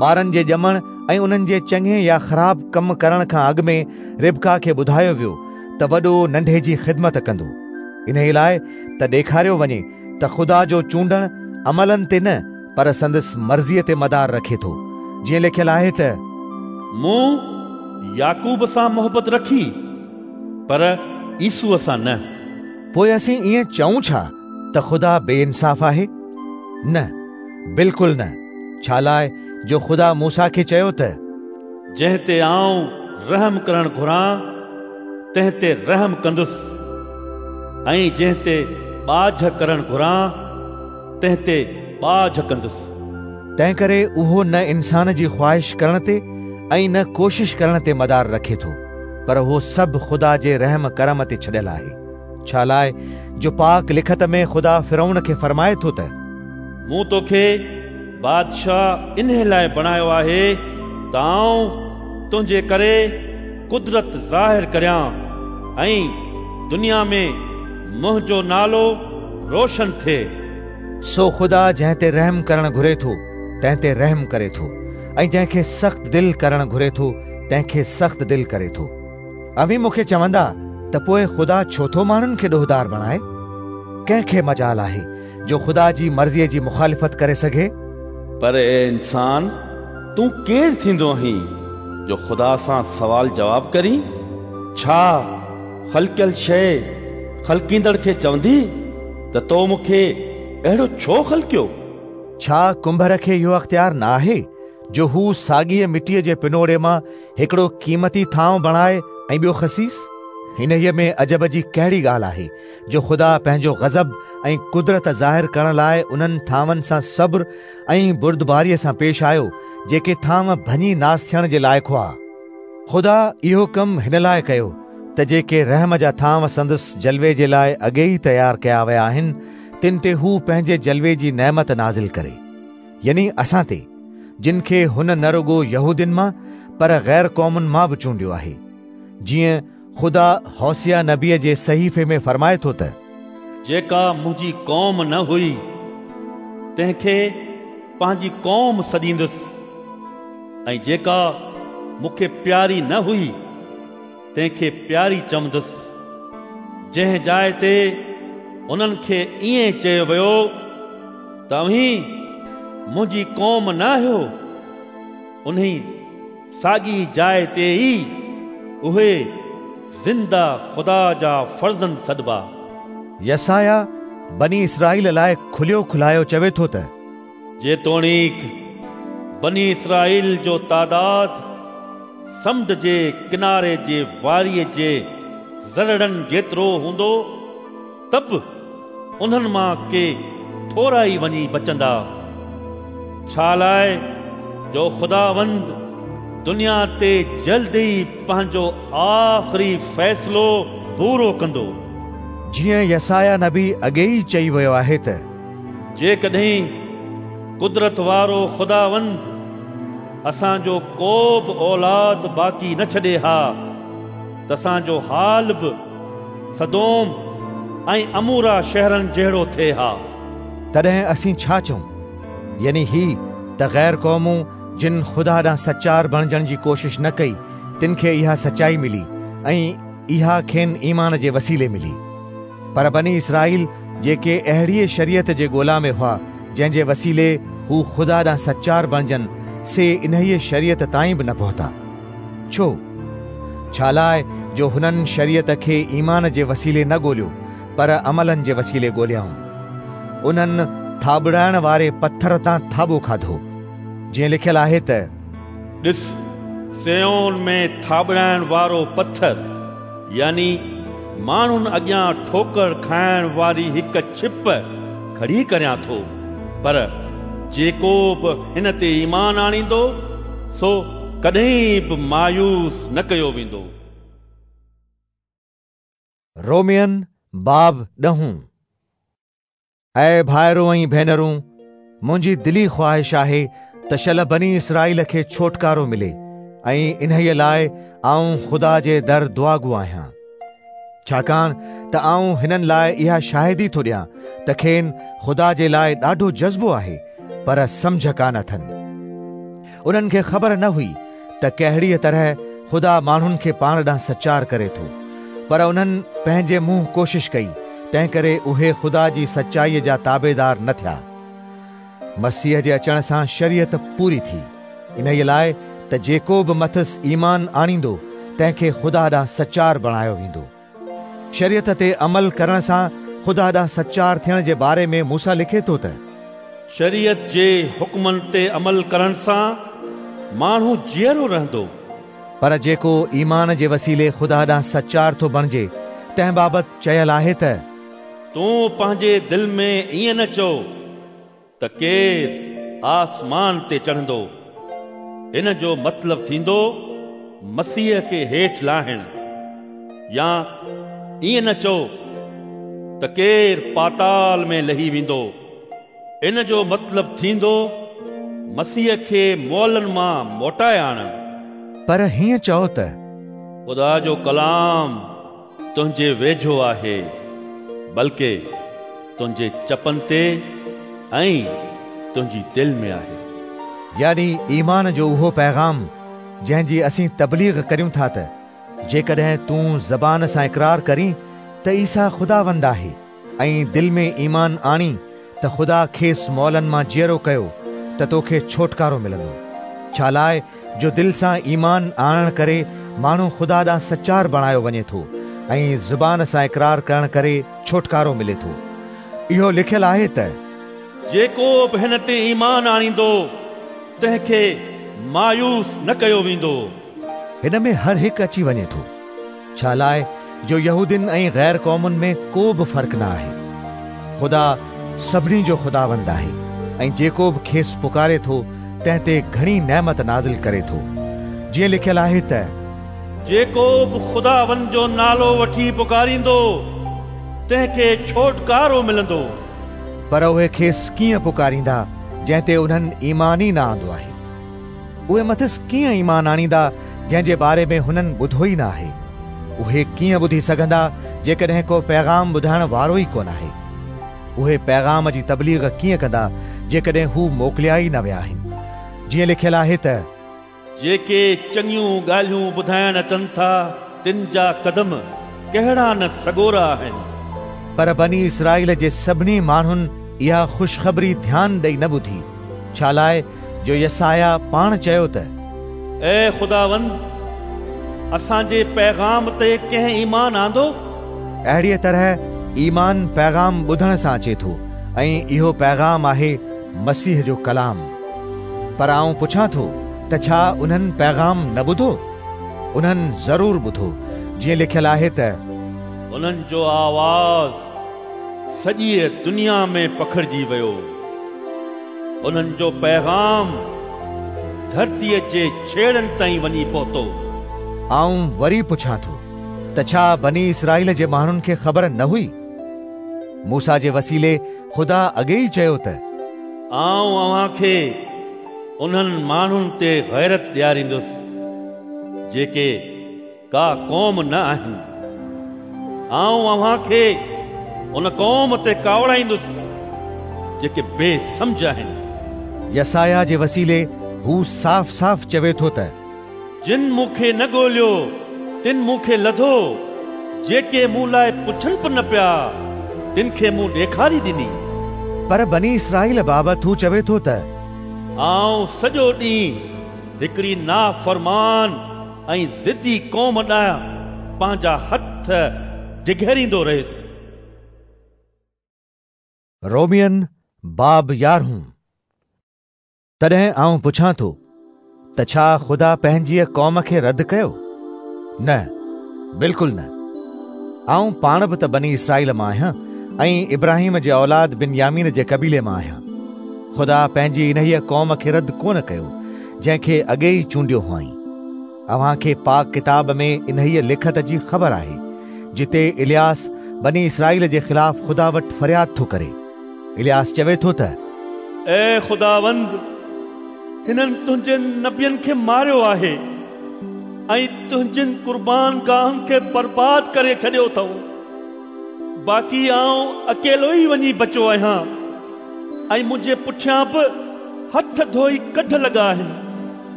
ٻارن جي ڄمڻ ۽ انهن جي چڱي يا خراب ڪم ڪرڻ کان اڳ ۾ ربقه کي ٻڌايو ويو ته وڏو ننڍي جي خدمت ڪندو. انهيء لاء ته ڏيکاريو وڃي ته خدا جو چونڊڻ عملن تي نه پر سندس مرضيء تي مدار رکي ٿو، جيئن لکيل آهي ته. مون يعقوب سان محبت رکي، پر عيسوء سان نه. پوء اسين ائين چئون ڇا ته خدا بي انصاف آهي؟ نه، بلڪل نه، ڇالاء جو خدا موسيٰ کي چيو ته. جنهن تي آئون رحم ڪرڻ گهران، تنهن تي رحم ڪندس، ۽ جنهن تي ٻاجهه ڪرڻ گهران، تنهن تي ٻاجهه ڪندس. تنهنڪري اهو نه انسان جي خواهش ڪرڻ تي ۽ نه ڪوشش ڪرڻ تي مدار رکي ٿو، پر اهو سڀ خدا جي رحم ڪرم تي ڇڏيل آهي. ڇالاء جو پاڪ لکت ۾ خدا فرعون کي فرمائي ٿو ته. مون توکي بادشاهه انهي لاء بڻايو آهي ته آئون تنهنجي ڪري قدرت ظاهر ڪريان ۽ دنيا ۾ منهنجو نالو روشن ٿئي. سو خدا جنهن تي رحم ڪرڻ گهري ٿو، تنهن تي رحم ڪري ٿو ۽ جنهن کي سخت دل ڪرڻ گهري ٿو، تنهن کي سخت دل ڪري ٿو. اوهين مون کي چوندا ته پوء خدا ڇو ٿو ماڻهن کي ڏوهدار بڻائي؟ ڪنهن کي مجال آهي جو خدا جي مرضيء جي مخالفت ڪري سگهي؟ پر اي انسان، تون ڪير ٿيندو آهين جو خدا سان سوال جواب ڪرين؟ ڇا خلقيل شيء خلقيندڙ کي چوندي ته تو مون کي اهڙو ڇو خلقيو؟ ڇا ڪنڀر کي اهو اختيار نه آهي جو هو ساڳيء مٽيء جي پنوڙي مان هڪڙو قيمتي ٿانء بڻائي ۽ ٻيو خسيس؟ انهيء ۾ عجب جي ڪهڙي ڳالهه آهي جو خدا پنهنجو غضب ۽ قدرت ظاهر ڪرڻ لاء انهن ٿانون سان صبر ۽ بردباريء سان پيش آيو، جيڪي ٿانو ڀڃي ناس ٿيڻ جي لائق هئا. خدا اهو ڪم هن لاء ڪيو ته جيڪي رحم جا ٿانو سندس جلوي جي لاء اڳي ئي تيار ڪيا ويا آهن، تن تي هو پنهنجي جلوي جي نعمت نازل ڪري، يعني اسان تي، جن کي هن نه رڳو يهودين مان پر غير قومن مان به چونڊيو آهي. جيئن خدا هوسيع نبيء جي صحيفي ۾ فرمائي ٿو ته. جيڪا منهنجي قوم نه هئي، تنهن کي پنهنجي قوم سڏيندس. ۽ جيڪا مون کي پياري نه هئي، تنهن کي پياري چوندس. جنهن جاء تي انهن کي ائين چيو ويو ته اوهين منهنجي قوم نه آهيو، انهي ساڳي جاء تي ئي اهي زنده خدا جا فرزند سڏبا. يسعياه بني اسرائيل لاء کليو کلايو چوي ٿو ته. جيتوڻيڪ بني اسرائيل جو تعداد سمنڊ جي ڪناري جي واريء جي ذرڙن جيترو هوندو، ته به انهن مان ڪي ٿورا ئي وڃي بچندا، ڇالاء جو خداوند دنيا تي جلد ئي پنهنجو آخري فيصلو پورو ڪندو. جيئن يسعياه نبي اڳي ئي چئي ويو آهي ته. جيڪڏهن قدرت وارو خداوند اسان جو ڪو به اولاد باقي نه ڇڏي ها ته اسان جو حال به سدوم ۽ عمورا شهرن جهڙو ٿئي ها. تڏهن اسين ڇا چئون؟ يعني هي ته غير قومون جن خدا ڏانهن سچار بڻجڻ جي ڪوشش نه ڪئي، تن کي اها سچائي ملي ۽ اها کين ايمان جي وسيلي ملي. پر بني اسرائيل جيڪي اهڙيء شريعت جي ڳولا ۾ هئا، جنهن جي وسيلي هو خدا ڏانهن سچار بڻجن، سي انهيء شريعت تائين به نه پهتا. ڇو؟ ڇالاء جو هنن شريعت کي ايمان جي وسيلي نه ڳوليو، پر عملن جي وسيلي ڳوليائون. انهن ٿاٻڙائڻ واري پٿر تان ٿاٻو کاڌو، جيئن لکيل آهي ته. ڏس، صيون ۾ ٿاٻڙائڻ وارو پٿر، يعني ماڻهن اڳيان ٺوڪر کائڻ واري هڪ ڇپ کڙي ڪريان ٿو، پر جيڪو به هن تي ايمان آڻيندو، سو ڪڏهن به مايوس نه ڪيو ويندو. رومين باب ڏهون. اي ڀائرو ۽ ڀينرون، منهنجي دلي خواهش آهي ته شل بني اسرائيل کي ڇوٽڪارو ملي ۽ انهيء لاء آئون خدا جي در دعاگو آهيان. ڇاڪاڻ ته آئون هنن لاء اها شاهدي ٿو ڏيان ته کين خدا جي لاء ڏاڍو جذبو آهي، پر سمجهه ڪانه اٿن. انهن کي خبر نه هئي ته ڪهڙيء طرح خدا ماڻهن کي پاڻ ڏانهن سچار ڪري ٿو، پر انهن پنهنجي منهن ڪوشش ڪئي، تنهنڪري اهي خدا جي سچائيء جا تابعدار نه ٿيا. مسيح جي اچڻ سان شريعت پوري ٿي، انهيء لاء ته جيڪو به مٿس ايمان آڻيندو تنهن کي خدا ڏانهن سچار بڻايو ويندو. شريعت تي عمل ڪرڻ سان خدا ڏانهن سچار ٿيڻ جي باري ۾ موسيٰ لکي ٿو ته. شريعت جي حڪمن تي عمل ڪرڻ سان ماڻهو جيئرو رهندو. پر جيڪو ايمان جي وسيلي خدا ڏانهن سچار ٿو بڻجي، تنهن بابت چيل آهي ته. تون پنهنجي دل ۾ ائين نه چئو ته ڪير آسمان تي چڙهندو، ان جو مطلب ٿيندو مسيح کي هيٺ لاهڻ، يا ائين نه چئو ته ڪير پاتال ۾ لهي ويندو، ان جو مطلب ٿيندو مسيح کي مئلن مان موٽائي آڻڻ. پر هيئن چئو ته. خدا جو ڪلام تنهنجي ويجهو آهي، بلڪه تنهنجي چپن تي ۽ تنهنجي دل ۾ آهي. يعني ايمان جو اهو پيغام جنهن جي اسين تبليغ ڪريون ٿا ته جيڪڏهن تون زبان سان اقرار ڪرين ته عيسيٰ خداوند آهي ۽ دل ۾ ايمان آڻين ته خدا کيس مئلن مان جيئرو ڪيو ته توکي ڇوٽڪارو ملندو. ڇالاء جو دل سان ايمان آڻڻ ڪري ماڻهو خدا ڏانهن سچار بڻايو وڃي ٿو ۽ زبان سان اقرار ڪرڻ ڪري ڇوٽڪارو ملي ٿو. اهو لکيل آهي ته. جيڪو به هن تي ايمان آڻيندو، تنهن کي مايوس نه ڪيو ويندو. هن ۾ هر هڪ اچي وڃي ٿو. ڇالاء جو يهودين ۽ غير قومن ۾ ڪو به فرق نه آهي. خدا سڀني جو خداوند آهي ۽ جيڪو به کيس پڪاري ٿو تنهن تي گهڻي نعمت نازل ڪري ٿو. جيئن لکيل آهي ته. جيڪو به خداوند جو نالو وٺي پڪاريندو، تنهن کي ڇوٽڪارو ملندو. پر اهي کيس ڪيئن پڪاريندا جنهن تي انهن ايمان ئي نه آندو آهي؟ اهي مٿس ڪيئن ايمان آڻيندا جنهن جي باري ۾ هنن ٻڌو ئي نه آهي؟ اهي ڪيئن ٻڌي سگهندا جيڪڏهن ڪو پيغام ٻڌائڻ وارو ئي ڪونه آهي؟ اهي پيغام جي تبليغ ڪيئن ڪندا جيڪڏهن هو موڪليا ئي نه ويا آهن؟ جيئن لکيل آهي ته. جيڪي چڱيون ڳالهيون ٻڌائڻ اچن ٿا، تن جا قدم ڪهڙا نه سڳورا آهن! پر بني اسرائيل جي سڀني ماڻهن اها خوشخبري ڌيان ڏئي نه ٻڌي، ڇالاء جو يسعياه پاڻ چيو ته. اي خداوند! اسان جي پيغام تي ڪنهن ايمان آندو؟ اهڙيء طرح ايمان پيغام ٻڌڻ سان اچي ٿو ۽ اهو پيغام آهي مسيح جو ڪلام. پر آئون پڇان ٿو ته ڇا انهن پيغام نه ٻڌو؟ انهن ضرور ٻڌو، جيئن لکيل آهي ته. انهن جو آواز سڄيء دنيا ۾ پکڙجي ويو، انهن جو پيغام ڌرتيء جي ڇيڙن تائين وڃي پهتو. آئون وري پڇان ٿو ته ڇا بني اسرائيل جي ماڻهن کي خبر نه هئي؟ موسيٰ جي وسيلي خدا اڳي ئي چيو ته. آئون اوهان کي انهن ماڻهن تي غيرت ڏياريندس، جيڪي ڪا قوم نه آهن. آئون اوهان کي ان قوم تي ڪاوڙائيندس، جيڪي بي سمجهه آهن. يسعياه جي وسيلي هو صاف صاف چوي ٿو ته. جن مون کي نه ڳوليو، تن مون کي لڌو، جيڪي مون لاء پڇن به نه پيا، تن کي مون ڏيکاري ڏني. پر بني اسرائيل بابت هو چوي ٿو ته. آئون سڄو ڏينهن هڪڙي نافرمان ۽ ضدي قوم ڏانهن پنهنجا هٿ ڊگهيريندو رهيس. رومين باب يارهون. تڏهن آئون پڇان ٿو ته ڇا خدا پنهنجيء قوم کي رد ڪيو؟ نه، بلڪل نه. آئون پاڻ به ته بني اسرائيل مان آهيان ۽ ابراهيم جي اولاد بنيامين جي قبيلي مان آهيان. خدا پنهنجي انهيء قوم کي رد ڪونه ڪيو، جنهن کي اڳي ئي چونڊيو هئائين. اوهان کي پاڪ ڪتاب ۾ انهيء لکت جي خبر آهي، جتي الياس بني اسرائيل جي خلاف خدا وٽ فرياد ٿو ڪري. الياس چوي ٿو ته. اي خداوند! هنن تنهنجن نبين کي ماريو آهي ۽ تنهنجين قربانگاهن کي برباد ڪري ڇڏيو اٿئون. باقي آئون اڪيلو ئي وڃي بچيو آهيان ۽ منهنجي پٺيان به هٿ ڌوئي ڪڍ لڳا آهن.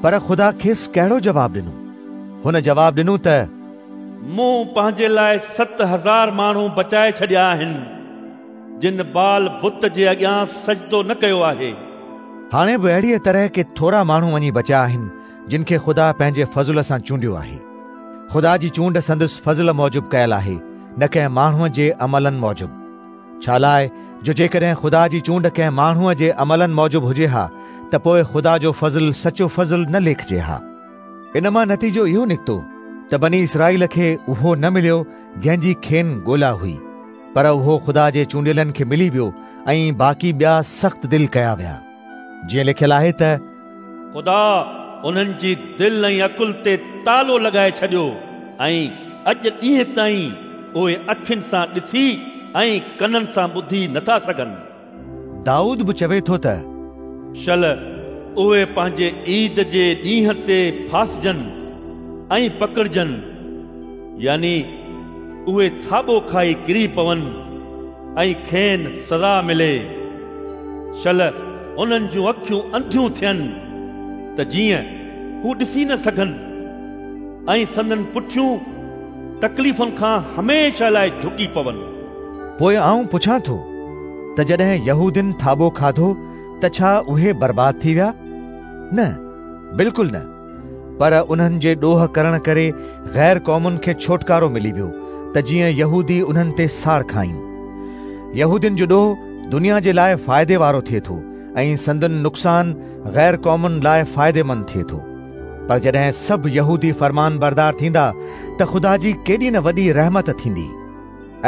پر خدا کيس ڪهڙو جواب ڏنو؟ هن جواب ڏنو ته. مون پنهنجي لاء 7000 ماڻهو بچائي ڇڏيا آهن. جن بعل بت جي اڳيان سجدو نه ڪيو آهي. هاڻي به اهڙيء طرح ڪي ٿورا ماڻهو وڃي بچيا آهن، جن کي خدا پنهنجي فضل سان چونڊيو آهي. خدا جي چونڊ سندس فضل موجب ڪيل آهي، نه ڪنهن ماڻهوء جي عملن موجب. ڇالاء جو جيڪڏهن خدا جي چونڊ ڪنهن ماڻهوء جي عملن موجب هجي ها ته پوء خدا جو فضل سچو فضل نه ليکجي ها. ان مان نتيجو اهو نڪتو ته بني اسرائيل کي اهو نه مليو جنهن جي کين ڳولا هئي، پر اهو خدا جي چونڊيلن کي ملي ويو ۽ باقي ٻيا سخت دل ڪيا ويا. جيئن لکيل آهي ته. خدا انهن جي دل ۽ عقل تي تالو لڳائي ڇڏيو ۽ اڄ ڏينهن تائين اهي اکين سان ڏسي ۽ ڪنن سان ٻڌي نٿا سگهن. دائود به چوي ٿو ته. شل اهي پنهنجي عيد جي ڏينهن تي ڦاسجن ۽ پڪڙجن، يعني اهي ٿاٻو کائي ڪري پون ۽ کين سزا ملي. شل انهن جون اکيون انڌيون ٿين ته جيئن هو ڏسي نه سگهن ۽ سندن پٺيون تڪليفن کان هميشه لاء جهڪي پون. پوء آئون پڇان ٿو ته جڏهن يهودين ٿاٻو کاڌو ته ڇا اهي برباد ٿي ويا؟ نه، بلڪل نه، پر انهن جي ڏوهه ڪرڻ ڪري غير قومن کي ڇوٽڪارو ملي ويو ته جيئن يهودي انهن تي ساڙ کائين. يهودين جو ڏوهه دنيا جي لاء فائدي وارو ٿئي ٿو ۽ سندن نقصان غير قومن لاء فائديمند ٿئي ٿو. پر جڏهن سڀ يهودي فرمانبردار ٿيندا ته خدا جي ڪيڏي نه وڏي رحمت ٿيندي.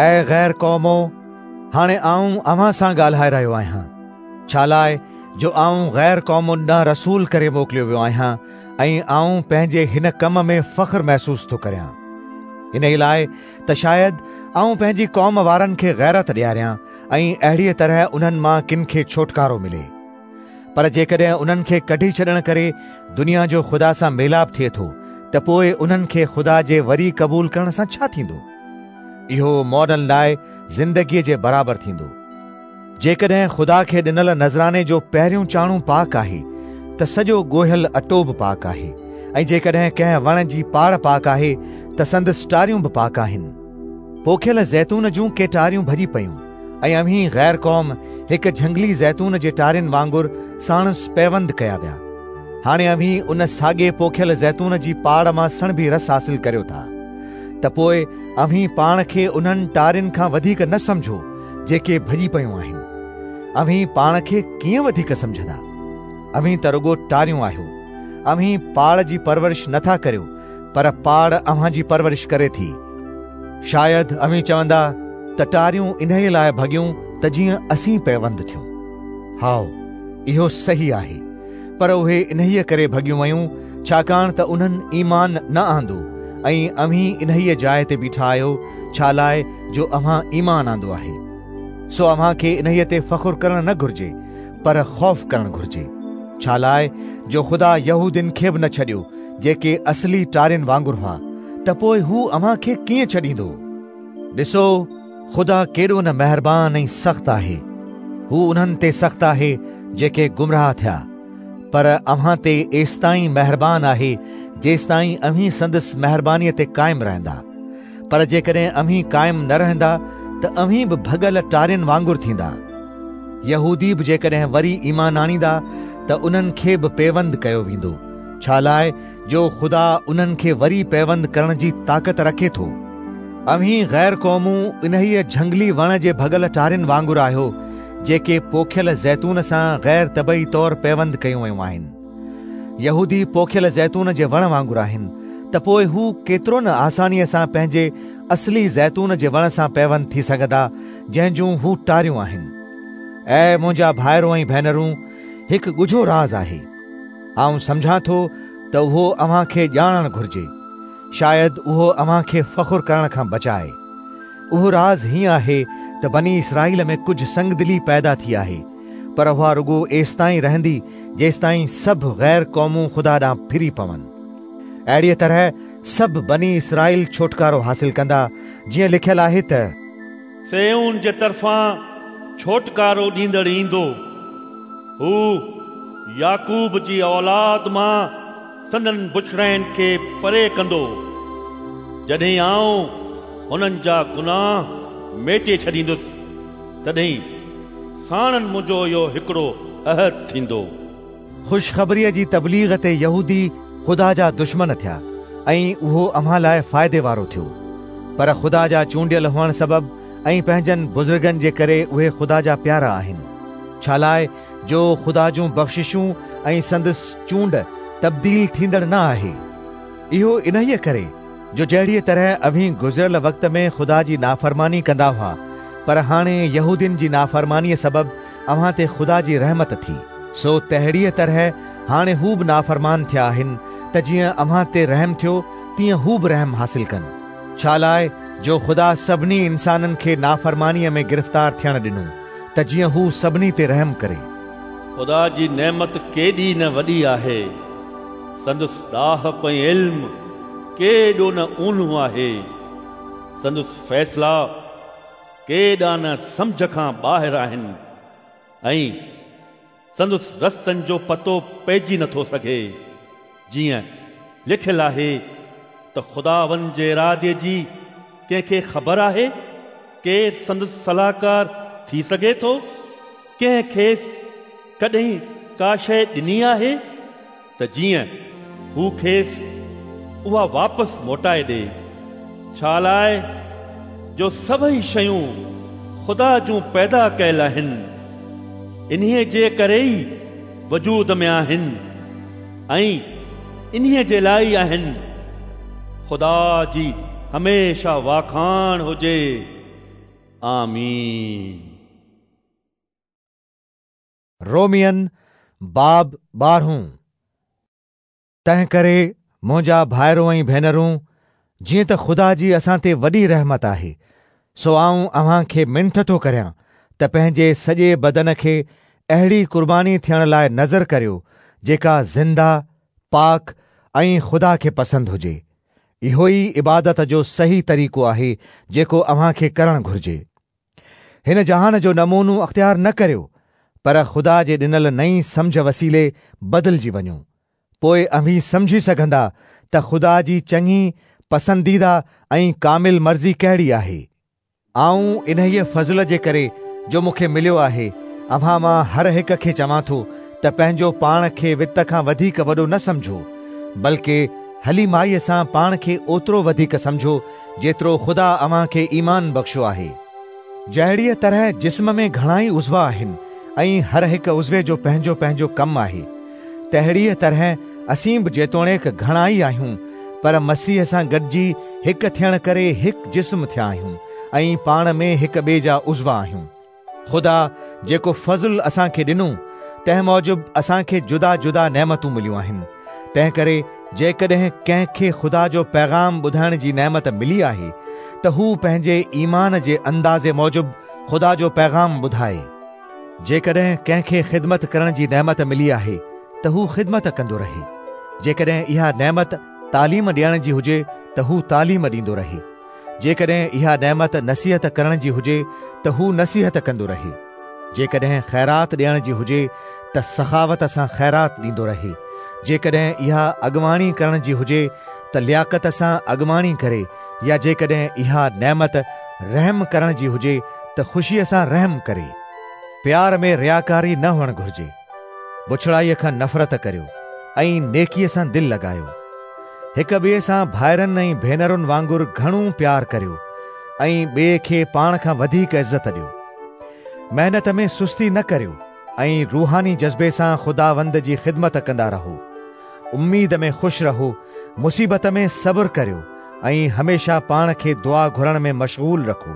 اي غير قومو! هاڻي آئون اوهان سان ڳالهائي رهيو آهيان، ڇالاء جو آئون غير قومن ڏانهن رسول ڪري موڪليو ويو آهيان ۽ آئون پنهنجي هن ڪم ۾ فخر محسوس ٿو ڪريان. انهيء لاء ته شايد آئون پنهنجي قوم وارن کي غيرت ڏياريان ۽ اهڙيء طرح انهن مان ڪن کي ڇوٽڪارو ملي. پر جيڪڏهن انهن کي ڪڍي ڇڏڻ ڪري دنيا جو خدا سان ميلاپ ٿئي ٿو ته پوء انهن کي خدا جي وري قبول ڪرڻ سان ڇا ٿيندو؟ اهو مئلن لاء زندگيء جي برابر ٿيندو. جيڪڏهن خدا کي ڏنل نذراني جو پهريون چاڻو پاڪ آهي ته سڄو ڳوهيل اٽو به پاڪ آهي ۽ جيڪڏهن ڪنهن وڻ جي پاڙ پاڪ آهي ته سندس ٽاريون به پاڪ آهن. پوکيل زيتون جون ڪي ٽاريون ڀڄي پيون ۽ اوهين غير قوم هڪ جهنگلي زيتون جي ٽارين وانگر ساڻس پيوند ڪيا ويا. هاڻي اوهين ان ساڳي پوکيل زيتون جي پاڙ مان سڻڀي رس حاصل ڪريو ٿا، ته پوء اوهين پاڻ کي انهن ٽارين کان وڌيڪ نه سمجهو جيڪي ڀڄي پيون آهن. اوهين پاڻ کي ڪيئن وڌيڪ سمجهندا؟ اوهين ته رڳو ٽاريون آهيو. اوهين پاڙ جي پرورش نه ٿا ڪريو، پر پاڙ اوهان جي پرورش ڪري ٿي. شايد اوهين چوندا ته ٽاريون انهيء لاء ڀڳيون ته جيئن اسين پيوند ٿيون. هائو، اهو صحيح آهي، پر اهي انهيء ڪري ڀڳيون ويون ڇاڪاڻ ته انهن ايمان نه آندو ۽ اوهين انهيء جاء تي بيٺا آهيو ڇالاء جو اوهان ايمان آندو آهي. سو اوهان کي انهيء تي فخر ڪرڻ نه گهرجي، پر خوف ڪرڻ گهرجي. ڇالاء جو خدا يهودين کي به نه ڇڏيو، جيڪي اصلي ٽارين وانگر هئا، ته پوء هو اوهان کي ڪيئن ڇڏيندو؟ ڏسو، خدا ڪيڏو نه مهربان ۽ سخت آهي. هو انهن تي سخت آهي جيڪي گمراهه ٿيا، پر اوهان تي ايستائين مهربان آهي جيستائين اوهين سندس مهربانيء تي قائم رهندا. پر جيڪڏهن اوهين قائم نه رهندا ته اوهين به ڀڳل ٽارين وانگر ٿيندا. يهودي به جيڪڏهن وري ايمان آڻيندا ته انهن کي به پيوند ڪيو ويندو، ڇالاء جو خدا انهن کي وري پيوند ڪرڻ جي طاقت رکي ٿو. اوهين غير قومون انهيء جهنگلي وڻ جي ڀڳل ٽارين وانگر آهيو، جيڪي پوکيل زيتون سان غير طبعي طور پيوند ڪيون ويون آهن. يهودي پوکيل زيتون جي وڻ وانگر آهن، ته پوء هو ڪيترو نه آسانيء سان پنهنجي اصلي زيتون جي وڻ سان پيوند ٿي سگهندا، جنهن جون هو ٽاريون آهن. اي منهنجا ڀائرو ۽ ڀينرون، هڪ ڳجهو راز آهي. آئون سمجهان ٿو ته اهو اوهان کي ڄاڻڻ گهرجي. شايد اهو اوهان کي فخر ڪرڻ کان بچائي. اهو راز هيئن آهي ته بني اسرائيل ۾ ڪجهه سنگدلي پيدا ٿي آهي، پر اها رڳو ايستائين رهندي جيستائين سڀ غير قومون خدا ڏانهن ڦري پون. اهڙيء طرح سڀ بني اسرائيل ڇوٽڪارو حاصل ڪندا، جيئن لکيل آهي ته. صيئون جي طرفان ڇوٽڪارو ڏيندڙ ايندو. هو يعقوب جي اولاد مان سندن بڇڙاين کي پري ڪندو. جڏهن آئون هنن جا گناهه ميٽي ڇڏيندس، تڏهن ساڻن منهنجو اهو هڪڙو عهد ٿيندو. خوشخبريء جي تبليغ تي يهودي خدا جا دشمن ٿيا ۽ اهو اوهان لاء فائدي وارو ٿيو. پر خدا جا چونڊيل هئڻ سبب ۽ پنهنجن بزرگن جي ڪري اهي خدا جا پيارا آهن، ڇالاء جو خدا جون بخششون ۽ سندس چونڊ تبديل ٿيندڙ نه آهي. اهو انهيء ڪري جو جهڙيء طرح اوهين گذريل وقت ۾ خدا جي نافرماني ڪندا هئا، پر هاڻي يهودين جي نافرمانيء سبب اوهان تي خدا جي رحمت ٿي، سو تهڙيء طرح هاڻي هو به نافرمان ٿيا آهن، ته جيئن اوهان تي رحم ٿيو، تيئن هو به رحم حاصل ڪن. ڇالاء جو خدا سڀني انسانن کي نافرمانيء ۾ گرفتار ٿيڻ ڏنو، ته جيئن هو سڀني تي رحم ڪري. خدا جي نعمت ڪيڏي نه وڏي آهي! سندس ڏاهپ ۽ علم ڪيڏو نه اونهو آهي! سندس فيصلا ڪيڏا نه سمجهه کان ٻاهر آهن ۽ سندس رستن جو پتو پئجي نٿو سگهي. جيئن لکيل آهي ته خداوند جي ارادي جي ڪنهن کي خبر آهي؟ ڪير سندس صلاحڪار ٿي سگهي ٿو؟ ڪنهن کيس ڪڏهن ڪا شيء ڏني آهي ته جيئن هو کيس اها واپس موٽائي ڏئي؟ ڇالاء جو سڀئي شيون خدا جون پيدا ڪيل آهن، انهيء جي ڪري ئي وجود ۾ آهن ۽ انهيء جي لاء ئي آهن. خدا جي هميشه واکاڻ هجي. آمين. رومين باب ٻارهون. تنهنڪري منهنجا ڀائرو ۽ ڀينرون، جيئن ته خدا جي اسان تي وڏي رحمت آهي، سو آئون اوهان کي منٿ ٿو ڪريان ته پنهنجي سڄي بدن کي اهڙي قرباني ٿيڻ لاء نذر ڪريو، جيڪا زنده، پاڪ ۽ خدا کي پسند هجي. اهو ئي عبادت جو صحيح طريقو آهي جيڪو اوهان کي ڪرڻ گهرجي. هن جهان جو نمونو اختيار نه ڪريو، پر خدا جي ڏنل نئين سمجهه وسيلي بدلجي وڃو. پوء اوهين سمجهي سگهندا ته خدا جي چڱي، پسنديده ۽ ڪامل مرضي ڪهڙي آهي. آئون انهيء فضل جي ڪري جو مون کي مليو آهي، اوهان مان هر هڪ کي چوان ٿو ته پنهنجو پاڻ کي وت کان وڌيڪ وڏو نه سمجهو، بلڪه حليمائيء سان پاڻ کي اوترو وڌيڪ سمجهو، جيترو خدا اوهان کي ايمان بخشيو آهي. جهڙيء طرح جسم ۾ گهڻائي عضوا آهن ۽ هر هڪ عضوي جو پنهنجو پنهنجو ڪم آهي، تهڙيء طرح اسين به جيتوڻيڪ گهڻائي آهيون، پر مسيح سان گڏجي هڪ ٿيڻ ڪري هڪ جسم ٿيا آهيون ۽ پاڻ ۾ هڪ ٻئي جا عضوا آهيون. خدا جيڪو فضل اسان کي ڏنو، تنهن موجب اسان کي جدا جدا نعمتون مليون آهن. تنهنڪري جيڪڏهن ڪنهن کي خدا جو پيغام ٻڌائڻ جي نعمت ملي آهي ته هو پنهنجي ايمان جي اندازي موجب خدا جو پيغام ٻڌائي. جيڪڏهن ڪنهن کي خدمت ڪرڻ جي نعمت ملي آهي ته هو خدمت ڪندو رهي. جيڪڏهن اها نعمت تعليم ڏيڻ جي هجي ته هو تعليم ڏيندو رهي. جيڪڏهن اها نعمت نصيحت ڪرڻ جي هجي ته هو نصيحت ڪندو رهي. جيڪڏهن خيرات ڏيڻ جي هجي ته سخاوت سان خيرات ڏيندو رهي. جيڪڏهن اها اڳواڻي ڪرڻ جي هجي ته لياقت سان اڳواڻي ڪري يا جيڪڏهن اها نعمت رحم ڪرڻ جي هجي ته خوشيء سان رحم ڪري. پيار ۾ رياڪاري نه هئڻ گهرجي. بڇڙائيء کان نفرت ڪريو ۽ نيڪيء سان دل لڳايو. هڪ ٻئي سان ڀائرن ۽ ڀينرن وانگر گهڻو پيار ڪريو ۽ ٻئي کي پاڻ کان وڌيڪ عزت ڏيو. محنت ۾ سستي نه ڪريو ۽ روحاني جذبي سان خداوند جي خدمت ڪندا رهو. اميد ۾ خوش رهو، مصيبت ۾ صبر ڪريو ۽ هميشه پاڻ کي دعا گهرڻ ۾ مشغول رکو.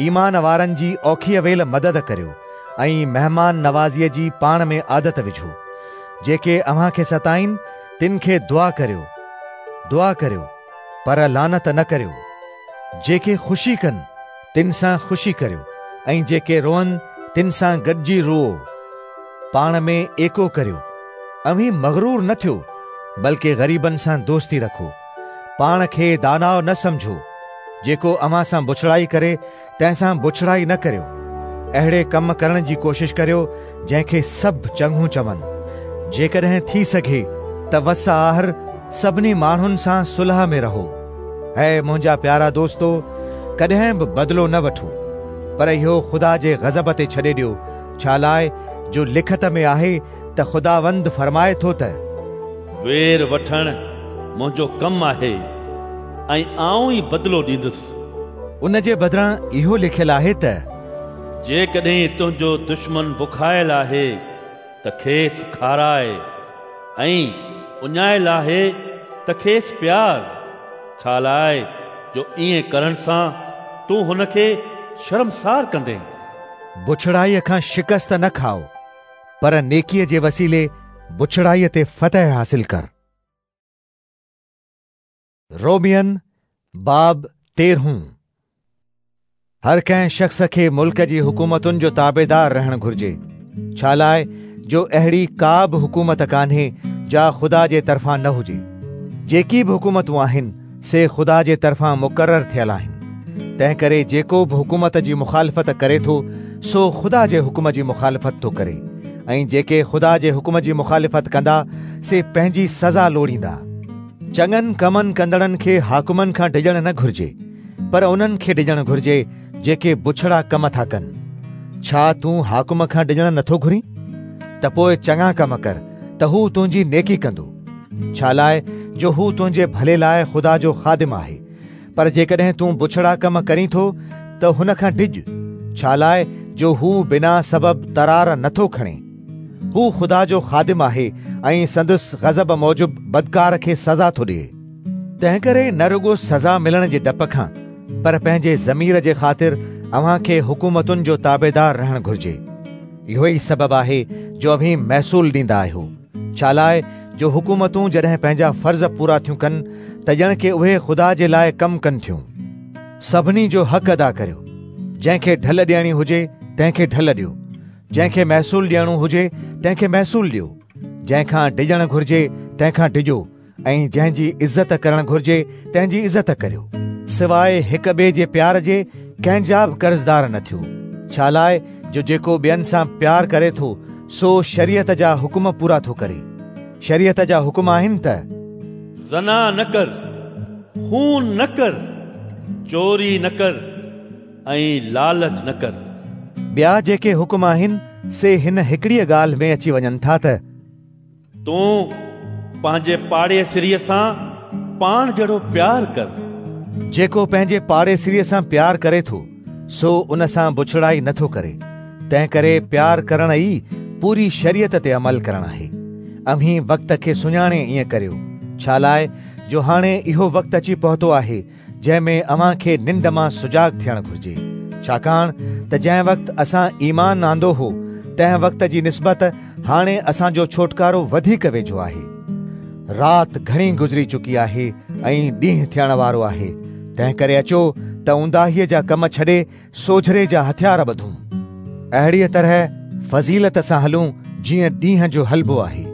ايمان وارن جي اوکيء ويل مدد ڪريو ۽ مهمان نوازيء جي پاڻ ۾ عادت وجهو. جيڪي اوهان کي ستائين، تن کي دعا ڪريو، دعا ڪريو، پر لعنت نه ڪريو. جيڪي خوشي ڪن، تن سان خوشي ڪريو ۽ جيڪي روئن، تن سان گڏجي روئو. پاڻ ۾ ايڪو ڪريو. اوهين مغرور نه ٿيو، بلڪه غريبن سان دوستي رکو. پاڻ کي داناء نه سمجهو. جيڪو اوهان سان بڇڙائي ڪري، تنهن سان بڇڙائي نه ڪريو. اهڙي ڪم ڪرڻ جي ڪوشش ڪريو، جنهن کي سڀ چڱو چون. جيڪڏهن ٿي سگهي ته وس آهر سڀني ماڻهن سان صلح ۾ رهو. اي منهنجا پيارا دوستو، ڪڏهن به بدلو نه وٺو، پر اهو خدا جي غضب تي ڇڏي ڏيو، ڇالاء جو لکت ۾ آهي ته خداوند فرمائي ٿو ته. وير وٺڻ منهنجو ڪم آهي ۽ آئون ئي بدلو ڏيندس. ان جي بدران اهو لکيل آهي ته. جيڪڏهن تنهنجو دشمن بکايل آهي ته کيس کاراء ۽ اڃايل آهي ته کيس پيار، ڇالاء جو ائين ڪرڻ سان تون هن کي شرمسار ڪندين. بڇڙائيء کان شڪست نه کائو، پر نيڪيء جي وسيلي بڇڙائيء تي فتح حاصل ڪر. رومين، باب تيرهون. هر ڪنهن شخص کي ملڪ جي حڪومتن جو تابعدار رهڻ گهرجي، ڇالاء جو اهڙي ڪا به حڪومت ڪانهي جا خدا جي طرفان نه هجي. جيڪي به حڪومتون آهن، سي خدا جي طرفان مقرر ٿيل آهن. تنهنڪري جيڪو به حڪومت جي مخالفت ڪري ٿو، سو خدا جي حڪم جي مخالفت ٿو ڪري ۽ جيڪي خدا جي حڪم جي مخالفت ڪندا، سي پنهنجي سزا لوڙيندا. چڱن ڪمن ڪندڙن کي حاڪمن کان ڊڄڻ نه گهرجي، پر انهن کي ڊڄڻ گهرجي جيڪي بڇڙا ڪم ٿا ڪن. ڇا تون حاڪم کان ڊڄڻ نٿو گهرين؟ ته پوء چڱا ڪم ڪر ته هو تنهنجي نيڪي ڪندو. ڇالاء جو هو تنهنجي ڀلي لاء خدا جو خادم آهي. پر جيڪڏهن تون بڇڙا ڪم ڪرين ٿو ته هن کان ڊڄ، ڇالاء جو هو بنا سبب ترار نٿو کڻي. هو خدا جو خادم آهي ۽ سندس غضب موجب بدڪار کي سزا ٿو ڏئي. تنهنڪري نه رڳو سزا ملڻ جي ڊپ کان، پر پنهنجي ضمير جي خاطر اوهان کي حڪومتن جو تابعدار رهڻ گهرجي. اهو ئي سبب آهي جو اوهين محصول ڏيندا آهيو، ڇالاء جو حڪومتون جڏهن پنهنجا فرض پورا ٿيون ڪن ته ڄڻ ڪي اهي خدا جي لاء ڪم ڪن ٿيون. سڀني جو حق ادا ڪريو. جنهن کي ڍل ڏيڻي هجي، تنهن کي ڍل ڏيو. جنهن کي محصول ڏيڻو هجي تنهن کي محصول ڏيو، جنهن کان ڊڄڻ گهرجي تنهن کان ڊڄو ۽ جنهن جي عزت ڪرڻ گهرجي تنهن جي عزت ڪريو. سواء هڪ ٻئي جي پيار جي ڪنهن جا به قرضدار نه ٿيو، ڇالاء جو جيڪو ٻين سان پيار ڪري ٿو سو شريعت جا حڪم پورا ٿو ڪري. شريعت جا حڪم آهن ته. زنا نه ڪر، خون نه ڪر، چوري نه ڪر. ۽ لالچ نه ڪر. ٻيا جيڪي حڪم آهن، سي هن هڪڙيء ڳالهه ۾ اچي وڃن ٿا ته. تون پنهنجي پاڙيسريء سان پاڻ جهڙو پيار ڪر. جيڪو پنهنجي پاڙيسريء سان پيار ڪري ٿو، سو ان سان بڇڙائي نه ٿو ڪري. تنهنڪري پيار ڪرڻ ئي پوري شريعت تي عمل ڪرڻ آهي. اوهين وقت کي سڃاڻي ائين ڪريو، ڇالاء جو هاڻي اهو وقت اچي پهتو آهي جنهن ۾ اوهان کي ننڊ مان سجاڳ ٿيڻ گهرجي، ڇاڪاڻ ته جنهن وقت اسان ايمان آندو هو، تنهن وقت جي نسبت هاڻي اسان جو ڇوٽڪارو وڌيڪ ويجهو آهي. رات گهڻي گذري چڪي آهي ۽ ڏينهن ٿيڻ وارو آهي، تنهنڪري اچو ته اونداهيء جا ڪم ڇڏي سوجهري جا هٿيار ٻڌون. اهڙيء طرح فضيلت سان هلون جيئن ڏينهن جو هلبو آهي،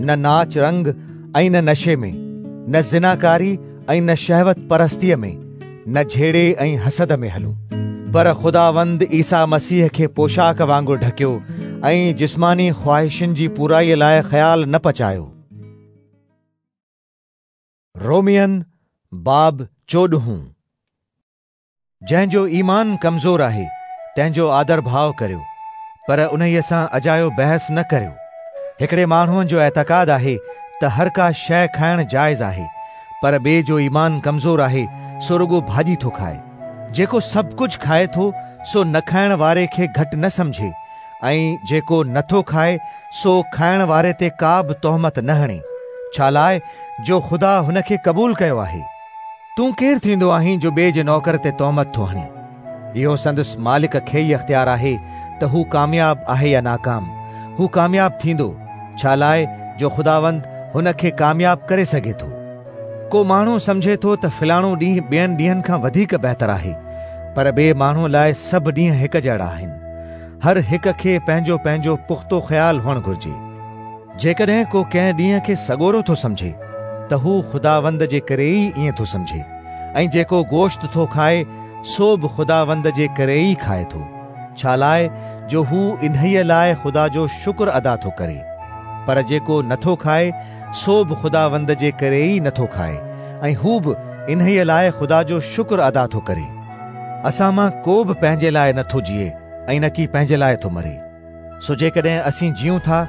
نه ناچ رنگ ۽ نه نشي ۾، نه زناڪاري ۽ نه شهوت پرستيء ۾، نه جهيڙي ۽ حسد ۾ هلون. پر خداوند عيسيٰ مسيح کي پوشاڪ وانگر ڍڪيو ۽ جسماني خواهشن جي پورائيء لاء خيال نه پچايو. رومين، باب چوڏهون. جنهن جو ايمان ڪمزور آهي، تنهن جو آدر ڀاء ڪريو، پر انهيء سان اجايو بحث نه ڪريو. هڪڙي ماڻهوء جو اعتقاد آهي ته هر ڪا شيء کائڻ جائز آهي، پر ٻئي جو ايمان ڪمزور آهي، سو رڳو ڀاڄي ٿو کائي. جيڪو سڀ ڪجهه کائي ٿو، سو نه کائڻ واري کي گهٽ نه سمجهي، ۽ جيڪو نه ٿو کائي، سو کائڻ واري تي ڪا به تهمت نه هڻي، ڇالاء جو خدا هن کي قبول ڪيو آهي. تون ڪير ٿيندو آهين جو ٻئي جي نوڪر تي تهمت ٿو هڻين؟ اهو سندس مالڪ کي ئي اختيار آهي ته هو ڪامياب آهي يا ناڪام. هو ڪامياب ٿيندو، ڇالاء جو خداوند هن کي ڪامياب ڪري سگهي ٿو. ڪو ماڻهو سمجهي ٿو ته فلاڻو ڏينهن ٻين ڏينهن کان وڌيڪ بهتر آهي، پر ٻئي ماڻهوء لاء سڀ ڏينهن هڪ جهڙا آهن. هر هڪ کي پنهنجو پنهنجو پختو خيال هئڻ گهرجي. جيڪڏهن ڪو ڪنهن ڏينهن کي سڳورو ٿو سمجهي ته هو خداوند جي ڪري ئي ائين ٿو سمجهي ۽ جيڪو گوشت ٿو کائي سو به خداوند جي ڪري ئي کائي ٿو، ڇالاء جو هو انهيء لاء خدا جو شڪر ادا ٿو ڪري. پر جيڪو نٿو کائي سو به خداوند جي ڪري ئي نٿو کائي ۽ هو به انهيء لاء خدا جو شڪر ادا ٿو ڪري. اسان مان ڪو به پنهنجي لاء نٿو جيئي ۽ نڪي پنهنجي لاء ٿو مري. سو جيڪڏهن اسين جيئون ٿا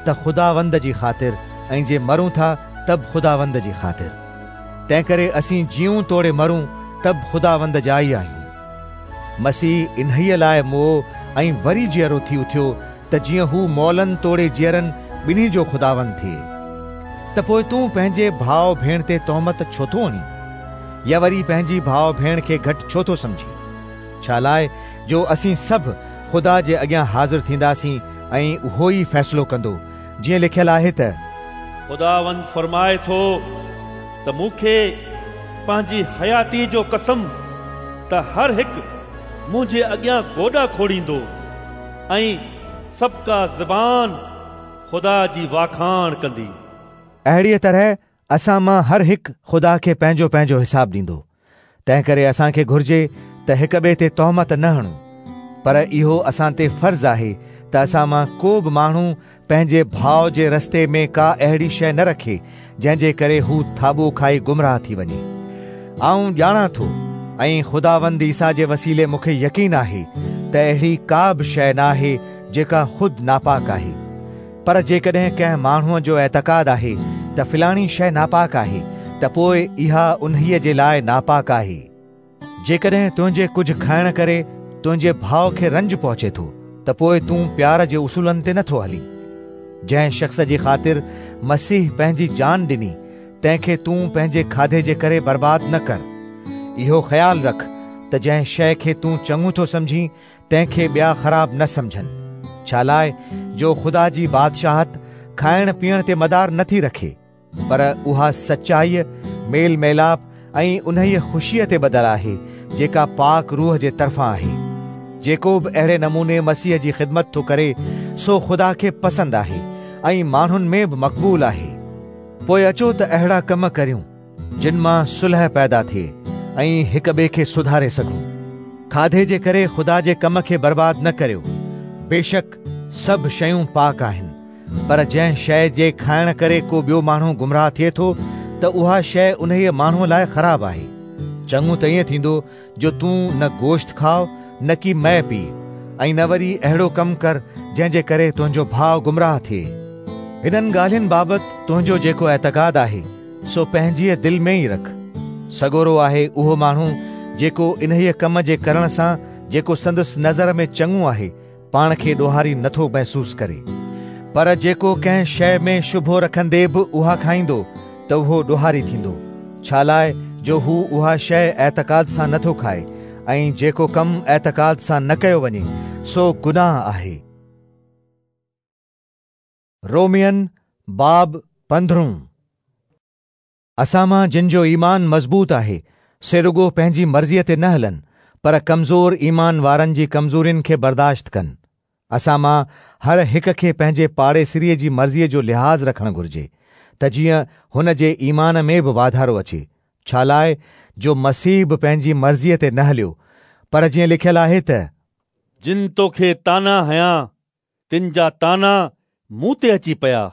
ته خداوند جي خاطر ۽ جي مرون ٿا ته به خداوند جي خاطر. تنهنڪري اسين جيئون توڙي مرون ته به خداوند جا ئي آهيون. مسيح انهيء لاء مئو ۽ وري جيئرو ٿي اٿيو ته جيئن هو مئلن توڙي جيئرن ٻنهي جو خداوند ٿئي. ته پوء تون پنهنجي ڀاء ڀيڻ تي تهمت ڇو ٿو هڻين؟ يا وري پنهنجي ڀاء ڀيڻ کي گهٽ ڇو ٿو سمجهين؟ ڇالاء جو اسين سڀ خدا جي اڳيان حاضر ٿينداسين ۽ اهو ئي فيصلو ڪندو، جيئن لکيل آهي ته. خداوند فرمائي ٿو ته مون کي پنهنجي حياتيء جو قسم ته هر هڪ منهنجي اڳيان گوڏا کوڙيندو ۽ سڀڪا زبان خدا جي واکاڻ ڪندي. اهڙيء طرح اسان مان هر هڪ خدا کي پنهنجو پنهنجو حساب ڏيندو. تنهنڪري اسان کي گهرجي ته هڪ ٻئي تي تهمت نه هڻون. پر اهو اسان تي فرض آهي ته اسان مان ڪو به ماڻهو پنهنجي ڀاء جي رستي ۾ ڪا اهڙي شيء نه رکي، جنهن جي ڪري هو ٿاٻو کائي گمراهه ٿي وڃي. آئون ڄاڻان ٿو ۽ خداوند عيسيٰ جي وسيلي مون کي يقين آهي ته اهڙي ڪا به شيء نه آهي جيڪا خود ناپاڪ آهي. پر جيڪڏهن ڪنهن ماڻهوء جو اعتقاد آهي ته فلاڻي شيء ناپاڪ آهي ته پوء اها انهيء جي لاء ناپاڪ آهي. جيڪڏهن تنهنجي ڪجهه کائڻ ڪري تنهنجي ڀاء کي رنج پهچي ٿو ته پوء تون پيار جي اصولن تي نٿو هلين. جنهن شخص جي خاطر مسيح پنهنجي جان ڏني، تنهن کي تون پنهنجي کاڌي جي ڪري برباد نه ڪر. اهو خيال رک ته جنهن شيء کي تون چڱو ٿو سمجهين، تنهن کي ٻيا خراب نه سمجهن، ڇالاء جو خدا جي بادشاهت کائڻ پيئڻ تي مدار نه ٿي رکي، پر اها سچائيء، ميل ميلاپ ۽ انهيء خوشيء تي ٻڌل آهي، جيڪا پاڪ روح جي طرفان آهي. جيڪو به اهڙي نموني مسيح جي خدمت ٿو ڪري، سو خدا کي پسند آهي ۽ ماڻهن ۾ به مقبول آهي. پوء اچو ته اهڙا ڪم ڪريون. جن مان صلح پيدا ٿئي ۽ هڪ ٻئي کي سڌاري سگهون. کاڌي جي ڪري خدا جي ڪم کي برباد نه ڪريو. بيشڪ سڀ شيون پاڪ آهن، پر جنهن شيء جي کائڻ ڪري ڪو ٻيو ماڻهو گمراهه ٿئي ٿو ته اها شيء انهيء ماڻهوء لاء خراب آهي. چڱو ته ائين ٿيندو جو تون نه گوشت کاء نه ڪي مئي پيء ۽ نه وري اهڙو ڪم ڪر جنهن جي ڪري تنهنجو ڀاء گمراهه ٿئي. هنن ڳالهين بابت تنهنجو جيڪو اعتقاد آهي، سو پنهنجيء دل ۾ ئي رک. سڳورو آهي اهو ماڻهو جيڪو انهيء ڪم جي ڪرڻ سان جيڪو سندس نظر ۾ چڱو آهي، پاڻ کي ڏوهاري نٿو محسوس ڪري. پر جيڪو ڪنهن شيء ۾ شبهو رکندي به اها کائيندو ته اهو ڏوهاري ٿيندو، ڇالاء جو هو اها شيء اعتقاد سان نٿو کائي ۽ جيڪو ڪم اعتقاد سان نه ڪيو وڃي، سو گناهه آهي. رومين باب پندرهون. اسان مان جن جو ايمان مضبوط آهي، سي رڳو پنهنجي مرضيء تي نه هلن، پر ڪمزور ايمان وارن جي ڪمزورين کي برداشت ڪن. اسان مان هر هڪ کي پنهنجي پاڙيسريء جي مرضيء جو لحاظ رکڻ گهرجي، ته جيئن هن جي ايمان ۾ به واڌارو اچي، ڇالاء جو مسيح به پنهنجي مرضيء تي نه هليو، پر جيئن لکيل آهي ته. جن توکي طعنا هنيا، تن جا طعنا مون تي اچي پيا.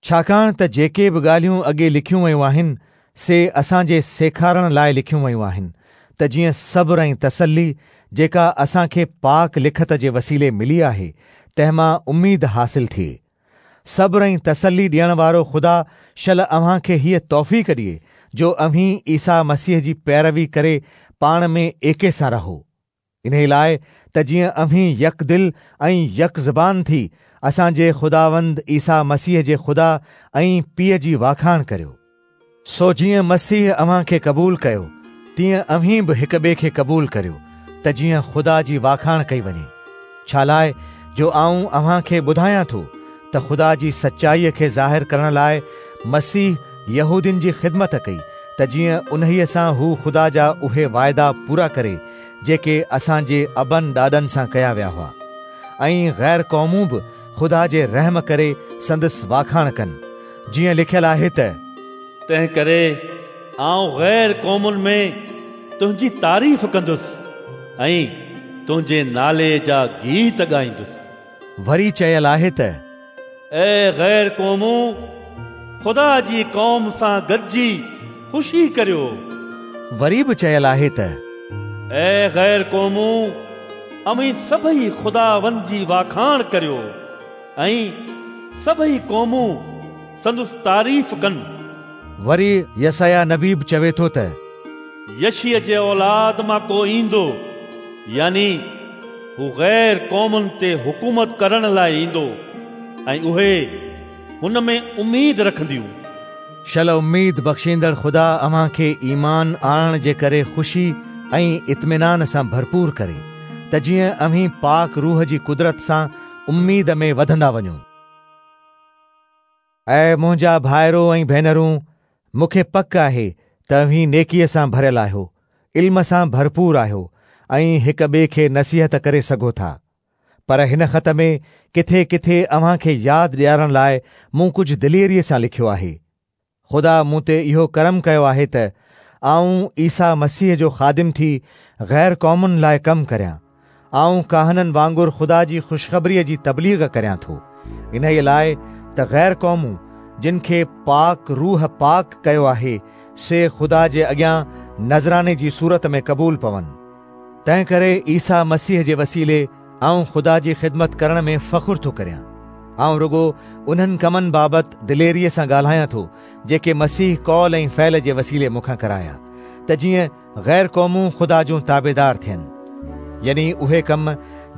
ڇاڪاڻ ته جيڪي به ڳالهيون اڳي لکيون ويون آهن، سي اسان جي سيکارڻ لاء لکيون ويون آهن، ته جيئن صبر ۽ تسلي، جيڪا اسان کي پاڪ لکت جي وسيلي ملي آهي، تنهن مان اميد حاصل ٿئي. صبر ۽ تسلي ڏيڻ وارو خدا شل اوهان کي هيء توفيق ڏئي، جو اوهين عيسيٰ مسيح جي پيروي ڪري پاڻ ۾ ايڪي سان رهو. انهيء لاء ته جيئن اوهين يڪ دل ۽ يڪ زبان ٿي اسان جي خداوند عيسيٰ مسيح جي خدا ۽ پيء جي واکاڻ ڪريو. سو جيئن مسيح اوهان کي قبول ڪيو، تيئن اوهين به هڪ ٻئي کي قبول ڪريو، ته جيئن خدا جي واکاڻ ڪئي وڃي. ڇالاء جو آئون اوهان کي ٻڌايان ٿو ته خدا جي سچائيء کي ظاهر ڪرڻ لاء مسيح يهودين جي خدمت ڪئي، ته جيئن انهيء سان هو خدا جا اهي واعدا پورا ڪري، جيڪي اسان جي ابن ڏاڏن سان ڪيا ويا هئا، ۽ غير قومون به خدا جي رحم ڪري سندس واکاڻ ڪن، جيئن لکيل آهي ته. تنهنڪري آئون غير قومن ۾ تنهنجي تعريف ڪندس، ۽ تنهنجي نالي جا گيت ڳائيندس. وري چيل آهي ته. اي غير قومون، خدا جي قوم سان گڏجي خوشي ڪريو. وري به چيل آهي ته. اي غير قومون، اوهين سڀئي خداوند جي واکاڻ ڪريو، ۽ سڀئي قومون سندس تعريف ڪن. وري يسعياه نبي به چوي ٿو ته. يشيء جي اولاد مان ڪو ايندو، يعني هو غير قومن تي حڪومت ڪرڻ لاء ايندو ۽ اهي هن ۾ اميد رکنديون. شل اميد بخشيندڙ خدا اوهان کي ايمان آڻڻ جي ڪري خوشي ۽ اطمينان سان ڀرپور ڪري، ته جيئن اوهين پاڪ روح جي قدرت سان اميد ۾ وڌندا وڃو. اي منهنجا ڀائرو ۽ ڀينرون، مون کي پڪ آهي ته اوهين نيڪيء سان ڀريل آهيو، علم سان ڀرپور آهيو ۽ هڪ ٻئي کي نصيحت ڪري سگهو ٿا. پر هن خط ۾ ڪٿي ڪٿي اوهان کي ياد ڏيارڻ لاء مون ڪجهه دليريء سان لکيو آهي. خدا مون تي اهو ڪرم ڪيو آهي ته آئون عيسيٰ مسيح جو خادم ٿي غير قومن لاء ڪم ڪريان. آئون ڪاهنن وانگر خدا جي خوشخبريء جي تبليغ ڪريان ٿو، انهيء لاء ته غير قومون، جن کي پاڪ روح پاڪ ڪيو آهي، سي خدا جي اڳيان نذراني جي صورت ۾ قبول پون. تنهنڪري عيسيٰ مسيح جي وسيلي آئون خدا جي خدمت ڪرڻ ۾ فخر ٿو ڪريان. آئون رڳو انهن ڪمن بابت دليريء سان ڳالهايان ٿو، جيڪي مسيح قول ۽ فعل جي وسيلي مون کان ڪرايا، ته جيئن غير قومون خدا جون تابعدار ٿين، يعني اهي ڪم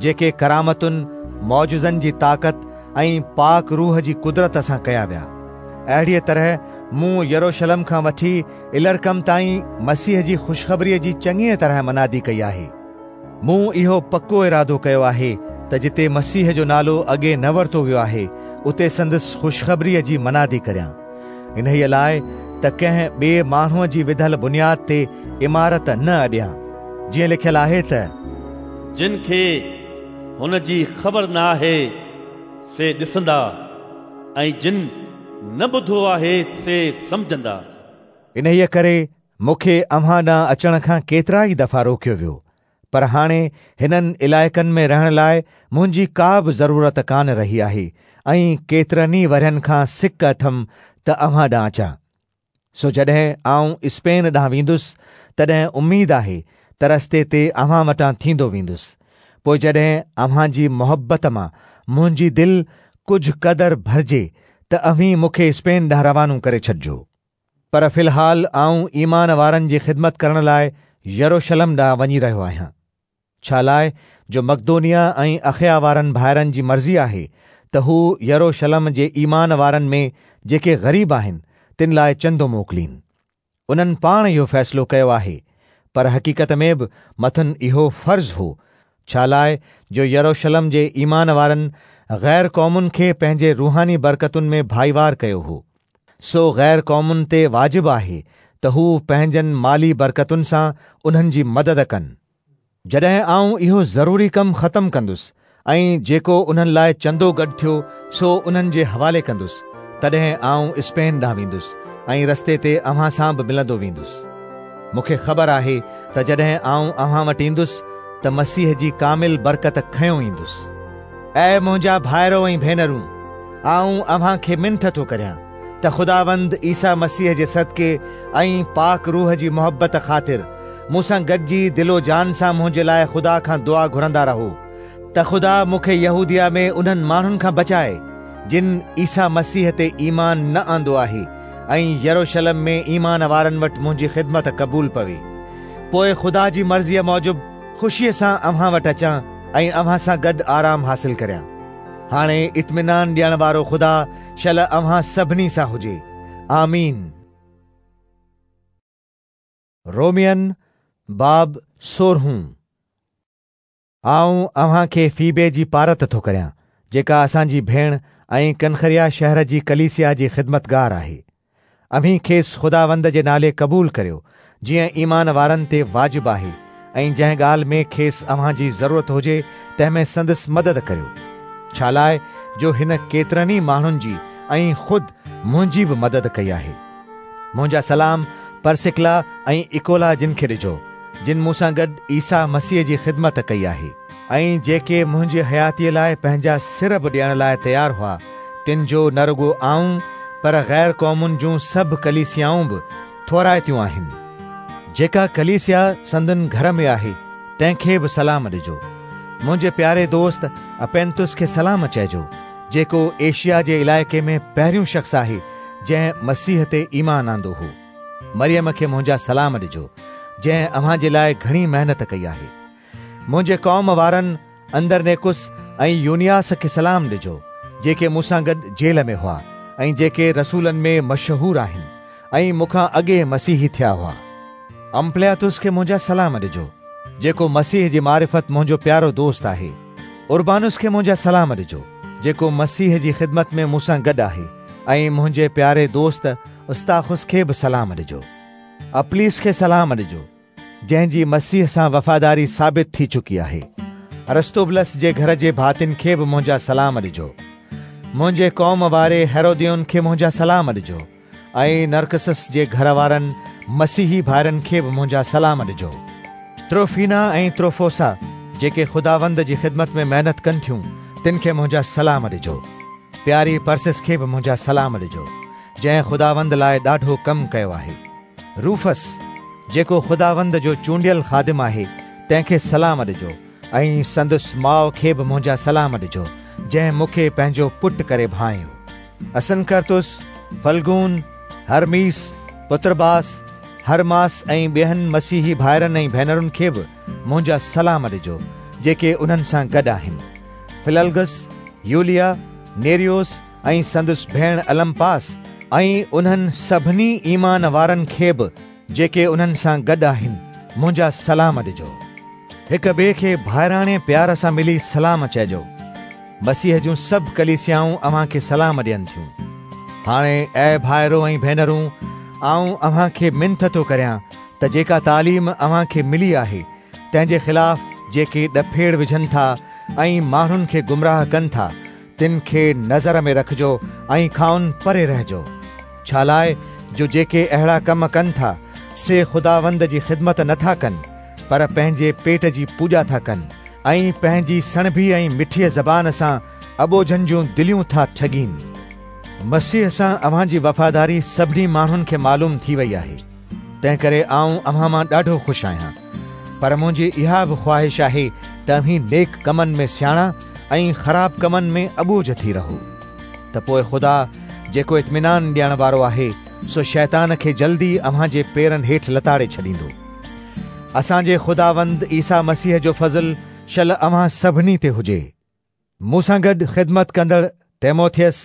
جيڪي ڪرامتن، معجزن جي طاقت ۽ پاڪ روح جي قدرت سان ڪيا ويا. اهڙيء طرح مون يروشلم کان وٺي الرڪم تائين مسيح جي خوشخبريء جي چڱيء طرح منادي ڪئي آهي. مون اهو پڪو ارادو ڪيو آهي ته جتي مسيح جو نالو اڳي نه ورتو ويو آهي، اتي سندس خوشخبريء جي منادي ڪريان. انهيء لاء ته ڪنهن ٻئي ماڻهوء جي وڌل بنياد تي عمارت نه اڏيان. جيئن لکيل آهي ته. جن کي هن جي خبر نه آهي، سي ڏسندا، ۽ جن نه ٻڌو آهي، سي سمجهندا. انهيء ڪري مون کي اوهان ڏانهن اچڻ کان ڪيترائي دفعا روڪيو ويو، پر هاڻي هنن علائقن ۾ رهڻ لاء منهنجي ڪا به ضرورت ڪانه رهي آهي ۽ ڪيترن ئي ورهين کان سڪ اٿم ته اوهان ڏانهن اچان. سو جڏهن آئون اسپين ڏانهن ويندس، تڏهن اميد آهي ته رستي تي اوهان وٽان ٿيندو ويندس. پوء جڏهن اوهان جي محبت مان منهنجي دل ڪجهه قدر ڀرجي ته اوهين مون کي اسپين ڏانهن روانو ڪري ڇڏجو. پر في الحال آئون ايمان وارن جي خدمت ڪرڻ لاء يروشلم ڏانهن وڃي رهيو آهيان. ڇالاء جو مقدونيه ۽ اخيا وارن ڀائرن جي مرضي آهي ته هو يروشلم جي ايمان وارن ۾ جيڪي غريب آهن، تن لاء چندو موڪلين. انهن پاڻ اهو فيصلو ڪيو آهي، پر حقيقت ۾ به مٿن اهو فرض هو، ڇالاء جو يروشلم جي ايمان وارن غير قومن کي پنهنجي روحاني برڪتن ۾ ڀائيوار ڪيو هو. سو غير قومن تي واجب آهي ته هو پنهنجن مالي برڪتن سان انهن جي مدد ڪن. جڏهن آئون اهو ضروري ڪم ختم ڪندس ۽ جيڪو انهن لاء چندو گڏ ٿيو سو انهن جي حوالي ڪندس، تڏهن آئون اسپين ڏانهن ويندس ۽ رستي تي اوهان سان به ملندو ويندس. مون کي خبر آهي ته جڏهن آئون اوهان وٽ ايندس ته مسيح جي ڪامل برڪت کنيو ايندس. اي منهنجا ڀائرو ۽ ڀينرون! آئون اوهان کي منٿ ٿو ڪريان ته خداوند عيسيٰ مسيح جي صدقي ۽ پاڪ روح جي محبت خاطر مون سان گڏجي دل و جان سان منهنجي لاء خدا کان دعا گهرندا رهو ته خدا مون کي يهوديه ۾ انهن ماڻهن کان بچائي جن عيسيٰ مسيح تي ايمان نه آندو آهي ۽ يروشلم ۾ ايمان وارن وٽ منهنجي خدمت قبول پوي. پوء خدا جي مرضيء موجب خوشيء سان اوهان وٽ اچان ۽ اوهان سان گڏ آرام حاصل ڪريان. هاڻي اطمينان ڏيڻ وارو خدا شل اوهان سڀني سان هجي. آمين. رومين باب سورهون. آئون اوهان کي فيبي جي پارت ٿو ڪريان، جيڪا اسان جي ڀيڻ ۽ ڪنخريا شهر جي ڪليسيا جي خدمتگار آهي. اوهين کيس خداوند جي نالي قبول ڪريو، جيئن ايمان وارن تي واجب آهي، ۽ جنهن ڳالهه ۾ کيس اوهان جي ضرورت هجي، تنهن ۾ سندس مدد ڪريو. ڇالاء جو هن ڪيترن ئي ماڻهن جي ۽ خود منهنجي به مدد ڪئي آهي. منهنجا سلام پرسڪلا ۽ اڪولا جن کي ڏجو، جن مون سان گڏ عيسيٰ مسيح جي خدمت ڪئي آهي. ۽ جيڪي منهنجي حياتيء لاء پنهنجا سر به ڏيڻ لاء تيار هئا، تن جو نه رڳو آئون پر غير قومن جون سڀ ڪليسيائون به ٿورائتيون آهن. جيڪا ڪليسيا سندن گهر ۾ آهي، تنهن کي به سلام ڏجو. منهنجي پياري دوست اپينتس کي سلام چئجو، جيڪو ايشيا جي علائقي ۾ پهريون شخص آهي، جنهن مسيح تي ايمان آندو هو. مريم کي منهنجا سلام ڏجو، جنهن اوهان جي لاء گهڻي محنت ڪئي آهي. منهنجي قوم وارن اندرنيڪس ۽ يونياس کي سلام ڏجو، جيڪي مون سان گڏ جيل ۾ هئا ۽ جيڪي رسولن ۾ مشهور آهن ۽ مون کان اڳي مسيحي ٿيا هئا. امپلياتس کي منهنجا سلام ڏجو، جيڪو مسيح جي معرفت منهنجو پيارو دوست آهي. اربانس کي منهنجا سلام ڏجو، جيڪو مسيح جي خدمت ۾ مون سان گڏ آهي ۽ منهنجي پياري دوست استاخس کي به سلام ڏجو. اپليس کي سلام ڏجو، جنهن جي مسيح سان وفاداري ثابت ٿي چڪي آهي. ارسطوبلس جي گهر جي ڀاتين کي به منهنجا سلام ڏجو. منهنجي قوم واري هيروديون کي منهنجا سلام ڏجو ۽ نرڪسس جي گهر وارن مسيحي ڀائرن کي به منهنجا سلام ڏجو. تروفينا ۽ تروفوسا جيڪي خداوند جي خدمت ۾ محنت ڪن ٿيون، تن کي منهنجا سلام ڏجو. پياري پرسس کي به منهنجا سلام ڏجو، جنهن خداوند لاء ڏاڍو ڪم ڪيو آهي. روفس، جيڪو خداوند جو چونڊيل خادم آهي، تنهن کي سلام ڏجو ۽ سندس ماء کي به منهنجا سلام ڏجو، جنهن مون کي پنهنجو پٽ ڪري ڀانئيو. اسنڪرتس، فلگون، هرميس، پطرباس، هرماس ۽ ٻين مسيحي ڀائرن ۽ ڀينرن کي به منهنجا سلام ڏجو، جيڪي انهن سان گڏ آهن. فللگس، يوليا، نيريوس ۽ سندس ڀيڻ المپاس ۽ انهن سڀني ايمان وارن کي به جيڪي انهن سان گڏ آهن، منهنجا سلام ڏجو. هڪ ٻئي کي ڀائراڻي پيار سان ملي سلام چئجو. مسيح جون سڀ ڪليسيائون اوهان کي سلام ڏين ٿيون. هاڻي اي ڀائرو ۽ ڀينرون، آئون اوهان کي منٿ ٿو ڪريان ته جيڪا تعليم اوهان کي ملي آهي، تنهن جي خلاف جيڪي ڏڦيڙ وجهن ٿا ۽ ماڻهن کي گمراهه ڪن ٿا، تن کي نظر ۾ رکجو ۽ کانئن پري رهجو. ڇالاء جو جيڪي اهڙا ڪم ڪن ٿا، سي خداوند جي خدمت نه ٿا ڪن، پر پنهنجي پيٽ جي پوڄا ٿا ڪن ۽ پنهنجي سڻڀي ۽ مٺيء زبان سان اٻوجهن جون دليون ٿا ٺڳين. مسيح سان اوهان جي وفاداري سڀني ماڻهن کي معلوم ٿي وئي آهي. تنهنڪري آئون اوهان مان ڏاڍو خوش آهيان. پر منهنجي اها به خواهش آهي ته اوهين نيڪ ڪمن ۾ سياڻا ۽ خراب ڪمن ۾ اٻوجهه ٿي رهو. ته پوء خدا، جيڪو اطمينان ڏيڻ وارو آهي، سو شيطان کي جلدي اوهان جي پيرن هيٺ لتاڙي ڇڏيندو. اسان جي خداوند عيسيٰ مسيح جو فضل شل اوهان سڀني تي هجي. مون سان گڏ خدمت ڪندڙ تيموٿيس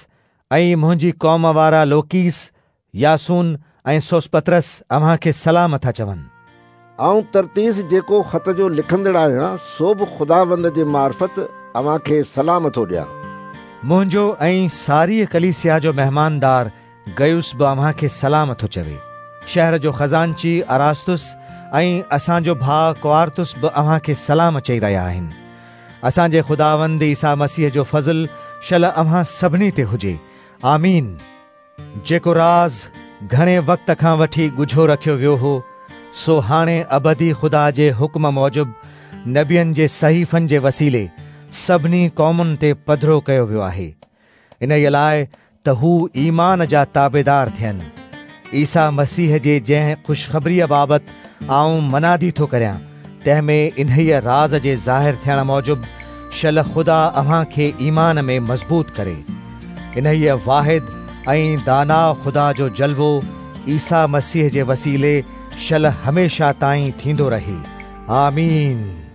۽ منهنجي قوم وارا لوڪيس، ياسون ۽ سوسپترس اوهان کي سلام ٿا چون. آئون ترتيس جيڪو خط جو لکندڙ آهيان، سو به خداوند جي معرفت اوهان کي سلام ٿو ڏيان. منهنجو ۽ ساريء ڪليسيا جو مهماندار گيوس به اوهان کي سلام ٿو چوي. شهر جو خزانچي اراستس ۽ اسان جو ڀاء ڪوارتس به اوهان کي سلام چئي رهيا آهن. اسان جي خداوند عيسيٰ مسيح جو فضل شل اوهان سڀني تي هجي. آمين. جيڪو راز گهڻي وقت کان وٺي ڳجهو رکيو ويو هو، سو هاڻي ابدي خدا جي حڪم موجب نبين جي صحيفن جي وسيلي سڀني قومن تي پڌرو ڪيو ويو آهي. انهيء لاء ته هو ايمان جا تابعدار ٿين. عيسيٰ مسيح جي جنهن خوشخبريء بابت آئون منادي ٿو ڪريان، تنهن ۾ انهيء راز جي ظاهر ٿيڻ موجب شل خدا اوهان کي ايمان ۾ مضبوط ڪري. انهيء واحد ۽ داناء خدا جو جلوو عيسيٰ مسيح جي وسيلي شل هميشه تائين ٿيندو رهي. آمين.